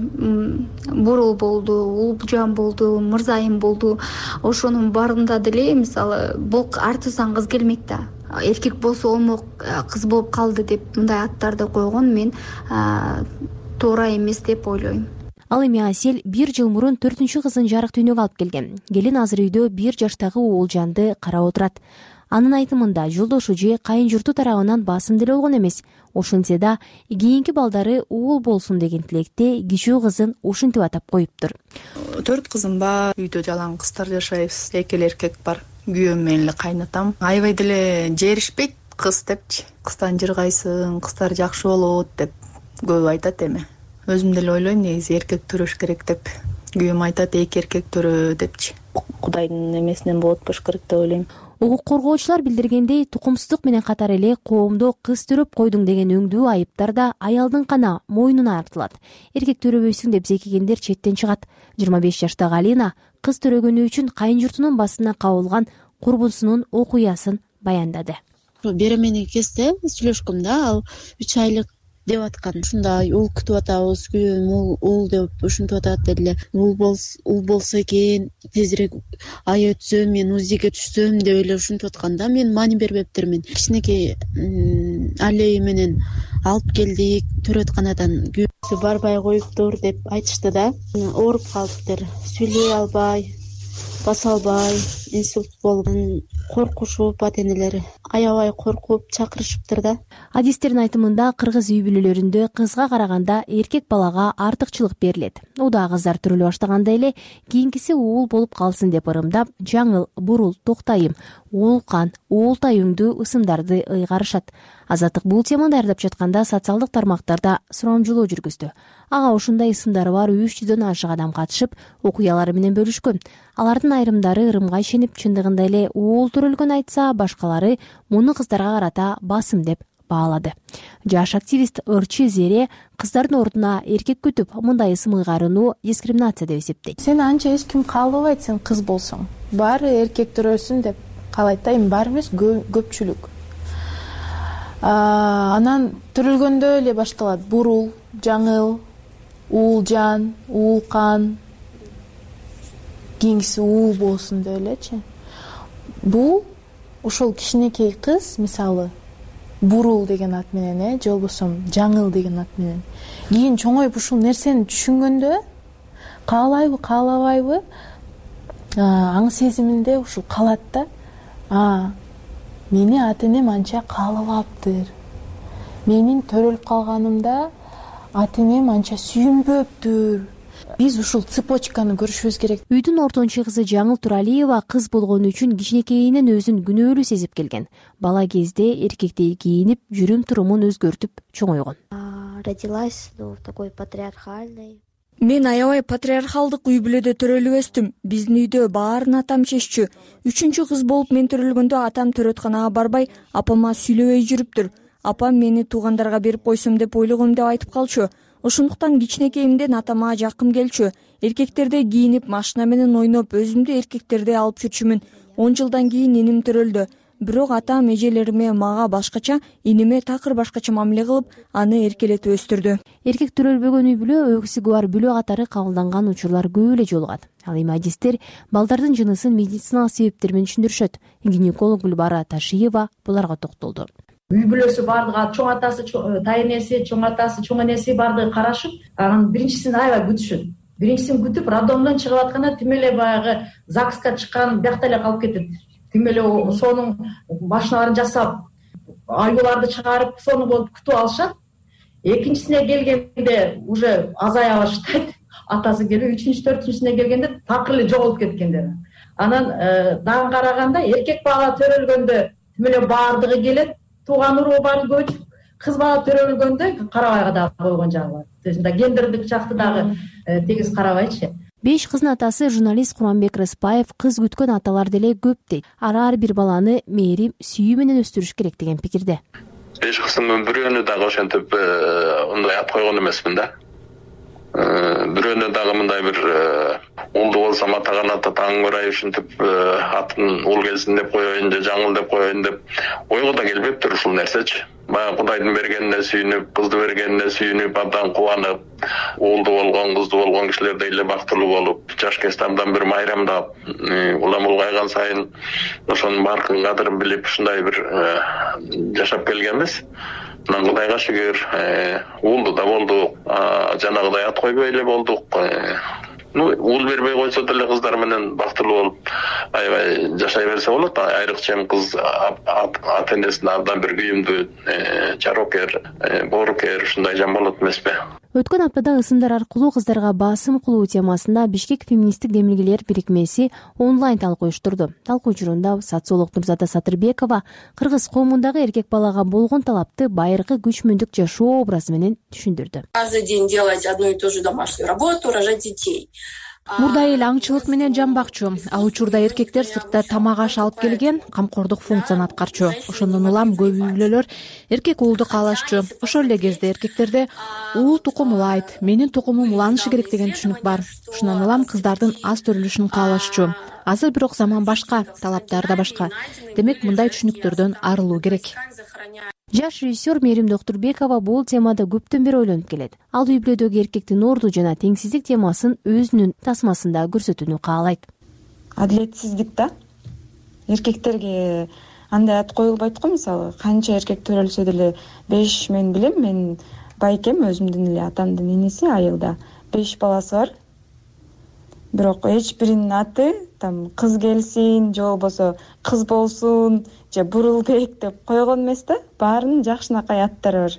Бурул болду, Уулжан болду, Мырзайым болду. Ошонун баарында деле мисалы бул артысынан кыз келмек да. Эркек болсо болмок, кыз болуп калды деп мындай аттарды койгон мен туура эмес деп ойлойм. Ал эми Асель бир жыл мурун төртүнчү кызын жарык дүйнөгө алып келген. Келин азыр үйдө бир жаштагы Уулжанды карап отурат. Анын айтымында жолдошу же кайын журту тарабынан басым деле болгон эмес. Ошентсе да кийинки балдары уул болсун деген тилекте кичүү кызын ушинтип атап коюптур. Төрт кызым бар, үйдө жалаң кыздар жашайбыз. Эки эле эркек бар. Күйөөм менен эле кайнатам. Аябай деле жеришпейт кыз депчи. Кыздан жыргайсың, кыздар жакшы болот деп көп айтат эми. Өзүм деле ойлойм, негизи эркек төрөш керек деп. Күйөөм айтат, эки эркек төрө депчи. Кудайдын эмесинен болот болуш керек деп ойлойм. Укук коргоочулар билдиргендей, тукумсуздук менен катар эле коомдо кыз төрөп койдуң деген өңдүү айыптар да аялдын гана мойнуна артылат. Эркек төрөбөйсүң деп зекигендер четтен чыгат. жыйырма беш жаштагы Алина кыз төрөгөнү үчүн кайын журтунун басына кабылган курбусунун окуясын баяндады. Беременный кезде сүйлөшкөм да, ал үч айлык деп аткан. Ушундай уул күтүп атабыз, күйөөм уул деп ушинтип атат деле. Уул болсо экен, тезирээк ай өтсө мен УЗИге түшсөм деп эле ушинтип аткан да. Мен маани бербептермин. Кичинекей алей менен алып келдик, төрөтканадан күйөөсү барбай коюптур деп айтышты да. Ооруп калыптыр, сүйлөй албай, баса албай, инсульт болгон, коркушуп ата-энелери аябай коркуп чакырышыптыр да. Адистердин айтымында кыргыз үй бүлөлөрүндө кызга караганда эркек балага артыкчылык берилет. Уда кыздар төрөлө баштаганда эле кийинкиси уул болуп калсын деп ырымдап, жаңыл, бурул, токтайым, уулкан, уултай өңдүү ысымдарды ыйгарышат. Азаттык бул теманы даярдап жатканда социалдык тармактарда сурамжылоо жүргүздү. Ага ушундай ысымдары бар үч жүздөн ашык адам катышып, окуялары менен бөлүшкөн. Алардын айрымдары ырымга ишенип, чындыгында эле уул төрөлгөн айтса, башкалары муну кыздарга карата басым деп баалады. Жаш активист Ырчы Зере кыздардын ордуна эркек күтүп, мындай ысым ыйгарууну дискриминация деп эсептейт. Сени анча эч ким каалабайт, сен кыз болсоң. Баары эркек төрөсүн деп каалайт да, эми баары эмес, көпчүлүк. Анан төрөлгөндө эле башталат. Бурул, жаңыл, уулжан, уулкан, кийинкиси уул болсун деп элечи. Бул ошол кичинекей кыз, мисалы, бурул деген ат менен, э, же болбосо жаңыл деген ат менен кийин чоңоюп ушул нерсени түшүнгөндө, каалайбы, каалабайбы, аң сезиминде ушул калат да. А, мени ата-энем анча каалабаптыр. Менин төрөлүп калганымда ата-энем анча сүйүнбөптүр. биз ушул цепочканы көрүшүбүз керек. Үйдүн ортончу кызы Жаңыл Туралиева кыз болгону үчүн кичинекейинен өзүн күнөөлүү сезип келген. Бала кезде эркектей кийинип, жүрүм турумун өзгөртүп чоңойгон. Родилась в такой патриархальной. Мен аябай патриархалдык үй бүлөдө төрөлүп өстүм. Биздин үйдө баарын атам чеччү. Үчүнчү кыз болуп мен төрөлгөндө атам төрөтканага барбай, апама сүйлөбөй жүрүптүр. Апам мени туугандарга берип койсом деп ойлогом деп айтып калчу. Ошондуктан кичинекейимден атама жакын келчү. Эркектердей кийинип, машина менен ойноп, өзүмдү эркектердей алып жүрчүмүн. он жылдан кийин иним төрөлдү. Бирок атам эжелериме мага башкача, иниме такыр башкача мамиле кылып, аны эркелетип өстүрдү. Эркек төрөлбөгөн үй бүлө өксүгү бар бүлө катары кабылданган учурлар көп эле жолугат. Ал эми адистер балдардын жынысын медициналык себептер менен түшүндүрүшөт. Гинеколог Гүлбара Ташиева буларга токтолду. Үй бүлөсү бардыгы, чоң атасы, тайэнеси, чоң атасы, чоң энеси бардыгы карашып, анан биринчисин аябай күтүшөт. Биринчисин күтүп, роддомдон чыгып атканда тим эле баягы ЗАГСка чыккан биякта эле калып кетет. Тим эле сонун машиналарын жасап, айгуларды чыгарып, сонун болуп күтүп алышат. Экинчисине келгенде уже азая баштайт. Атасы келип, үчүнчү, төртүнчүсүнө келгенде такыр эле жоголуп кеткендер. Анан дагы караганда эркек бала төрөлгөндө тим эле бардыгы келет, тууган уруу баары көчүп, кыз бала төрөлгөндө карабайга дагы койгон жагы бар. То есть гендердик жакты дагы тегиз карабайчы. Беш кыздын атасы журналист Курманбек Рыспаев кыз күткөн аталар деле көп дейт. Ар бир баланы мээрим, сүйүү менен өстүрүш керек деген пикирде. Беш кыздын бирөөнү дагы ошентип мындай ат койгон эмесмин да. Бирөөнү дагы мындай бир улду болсом атаган ата таң көрайын ушинтип атын ул келсин деп коеюн же жаңыл деп коеюн деп ойго да келбептир ушул нерсечи. Баягы Кудайдын бергенине сүйүнүп, кызды бергенине сүйүнүп, абдан кубанып, уулду болгон, кызды болгон кишилердей эле бактылуу болуп, жаш кезде абдан бир майрамдап, улам улгайган сайын ошонун баркын кадырын билип, ушундай бир жашап келгенбиз. Анан Кудайга шүгүр, уулду да болдук, жанагыдай ат койбой эле болдук. Ну, уул бербей койсо деле кыздар менен бактылуу болуп аябай жашай берсе болот. Айрыкча эми кыз ата энесине абдан бир күйүмдүү, жарокер, боорукер ушундай жан болот эмеспи? Өткөн аптада ысымдар аркылуу кыздарга басым кылуу темасында Бишкек феминисттик демилгелер бирикмеси онлайн талкуу уюштурду. Талкуу учурунда социолог Нурзада Сатырбекова кыргыз коомундагы эркек балага болгон талапты байыркы күчмүндүк жашоо образы менен түшүндүрдү. Каждый день делать одну и ту же домашнюю работу, рожать детей. Мурда эл аңчылык менен жамбакчу. Ал учурда эркектер сыртта тамак аш алып келген, камкордук функцияны аткарчу. Ошондон улам көп үй бүлөлөр эркек уулду каалашчу. Ошол эле кезде эркектерде уул тукум улайт, менин тукумум уланышы керек деген түшүнүк бар. Ушундан улам кыздардын аз төрөлүшүн каалашчу. Азыр бирок заман башка, талаптар да башка. Демек мындай түшүнүктөрдөн арылуу керек. Жаш режиссер Мээрим Доктурбекова бул темада көптөн бери ойлонуп келет. Ал үй бүлөдөгү эркектин орду жана теңсиздик темасын өзүнүн тасмасында көрсөтүүнү каалайт. Адилетсиздик да. Эркектерге андай ат коюлбайт го, мисалы, канча эркек төрөлсө деле беш мен билем, мен байкем өзүмдүн эле атамдын иниси айылда беш баласы бар. Бирок эч биринин аты там кыз келсин, же болбосо кыз болсун, же Бурулбек деп койгон эмес да. Баарынын жакшынакай аттары бар.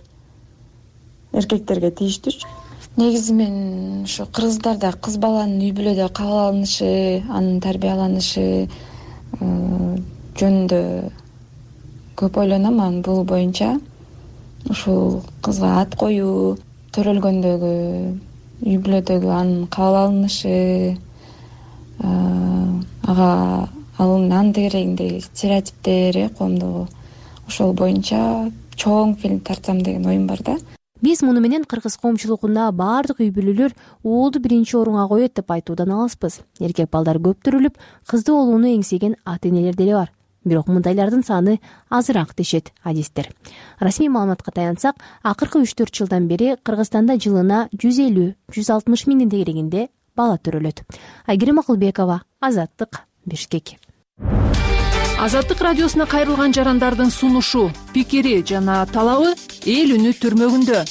Эркектерге тийиштүүчү. Негизи мен ушу кыргыздарда кыз баланын үй бүлөдө кабыл алынышы, анын тарбияланышы жөнүндө көп ойлоном. Анын бул боюнча ушул кызга ат коюу, төрөлгөндөгү үй бүлөдөгү анын кабыл алынышы, ага алынган керегиндеги стереотиптери коомдогу, ошол боюнча чоң фильм тартсам деген оюм бар да. Биз муну менен кыргыз коомчулугунда баардык үй бүлөлөр уулду биринчи орунга коет деп айтуудан алыспыз. Эркек балдар көп төрөлүп, кызды болууну эңсеген ата энелер деле бар. Бирок мындайлардын саны азыраак дешет адистер. Расмий маалыматка таянсак, акыркы үч төрт жылдан бери Кыргызстанда жылына жүз элүү жүз алтымыш миңдин дегерегинде бала төрөлөт. Айгерим Акылбекова, Азаттык, Бишкек. Азаттык радиосуна кайрылган жарандардын сунушу, пикири жана талабы эл үнү түрмөгүндө.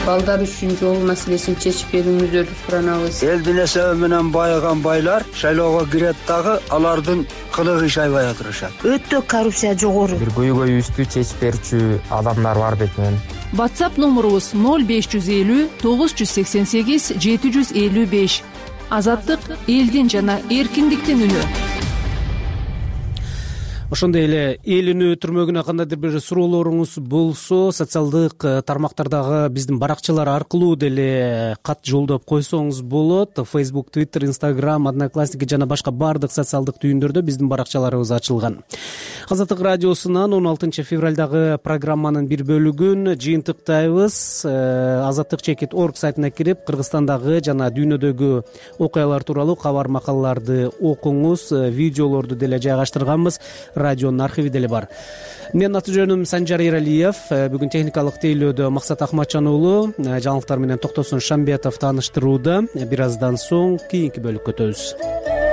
балдар үчүн жол маселесин чечип берүүңүздөрдү суранабыз. Элдин эсеби менен байыган байлар шайлоого кирет дагы алардын кылыгы иш аябай отурушат. Өтө коррупция жогору. Бир көйгөйүбүздү чечип берүүчү адамдар бар бекен. WhatsApp номурубуз ноль беш жүз элүү тогуз жүз сексен сегиз жети жүз элүү беш. Азаттык элдин жана эркиндиктин үнү. Ошондой эле эл үнү түрмөгүнө кандайдыр бир суроолоруңуз болсо, социалдык тармактардагы биздин баракчалар аркылуу деле кат жолдоп койсоңуз болот. Facebook, Twitter, Instagram, Одноклассники жана башка баардык социалдык түйүндөрдө биздин баракчаларыбыз ачылган. Азаттык радиосунан он алтынчы февралдагы программанын бир бөлүгүн жыйынтыктайбыз. азаттык чекит точка орг сайтына кирип, Кыргызстандагы жана дүйнөдөгү окуялар тууралуу кабар макалаларды окуңуз, видеолорду деле жайгаштырганбыз. Радионун архиви деле бар. Менин аты жөнүм Санжар Эралиев. Бүгүн техникалык тейлөөдө Максат Ахматжан уулу, жаңылыктар менен Токтосун Шамбетов тааныштырууда. Бир аздан соң кийинки бөлүккө өтөбүз.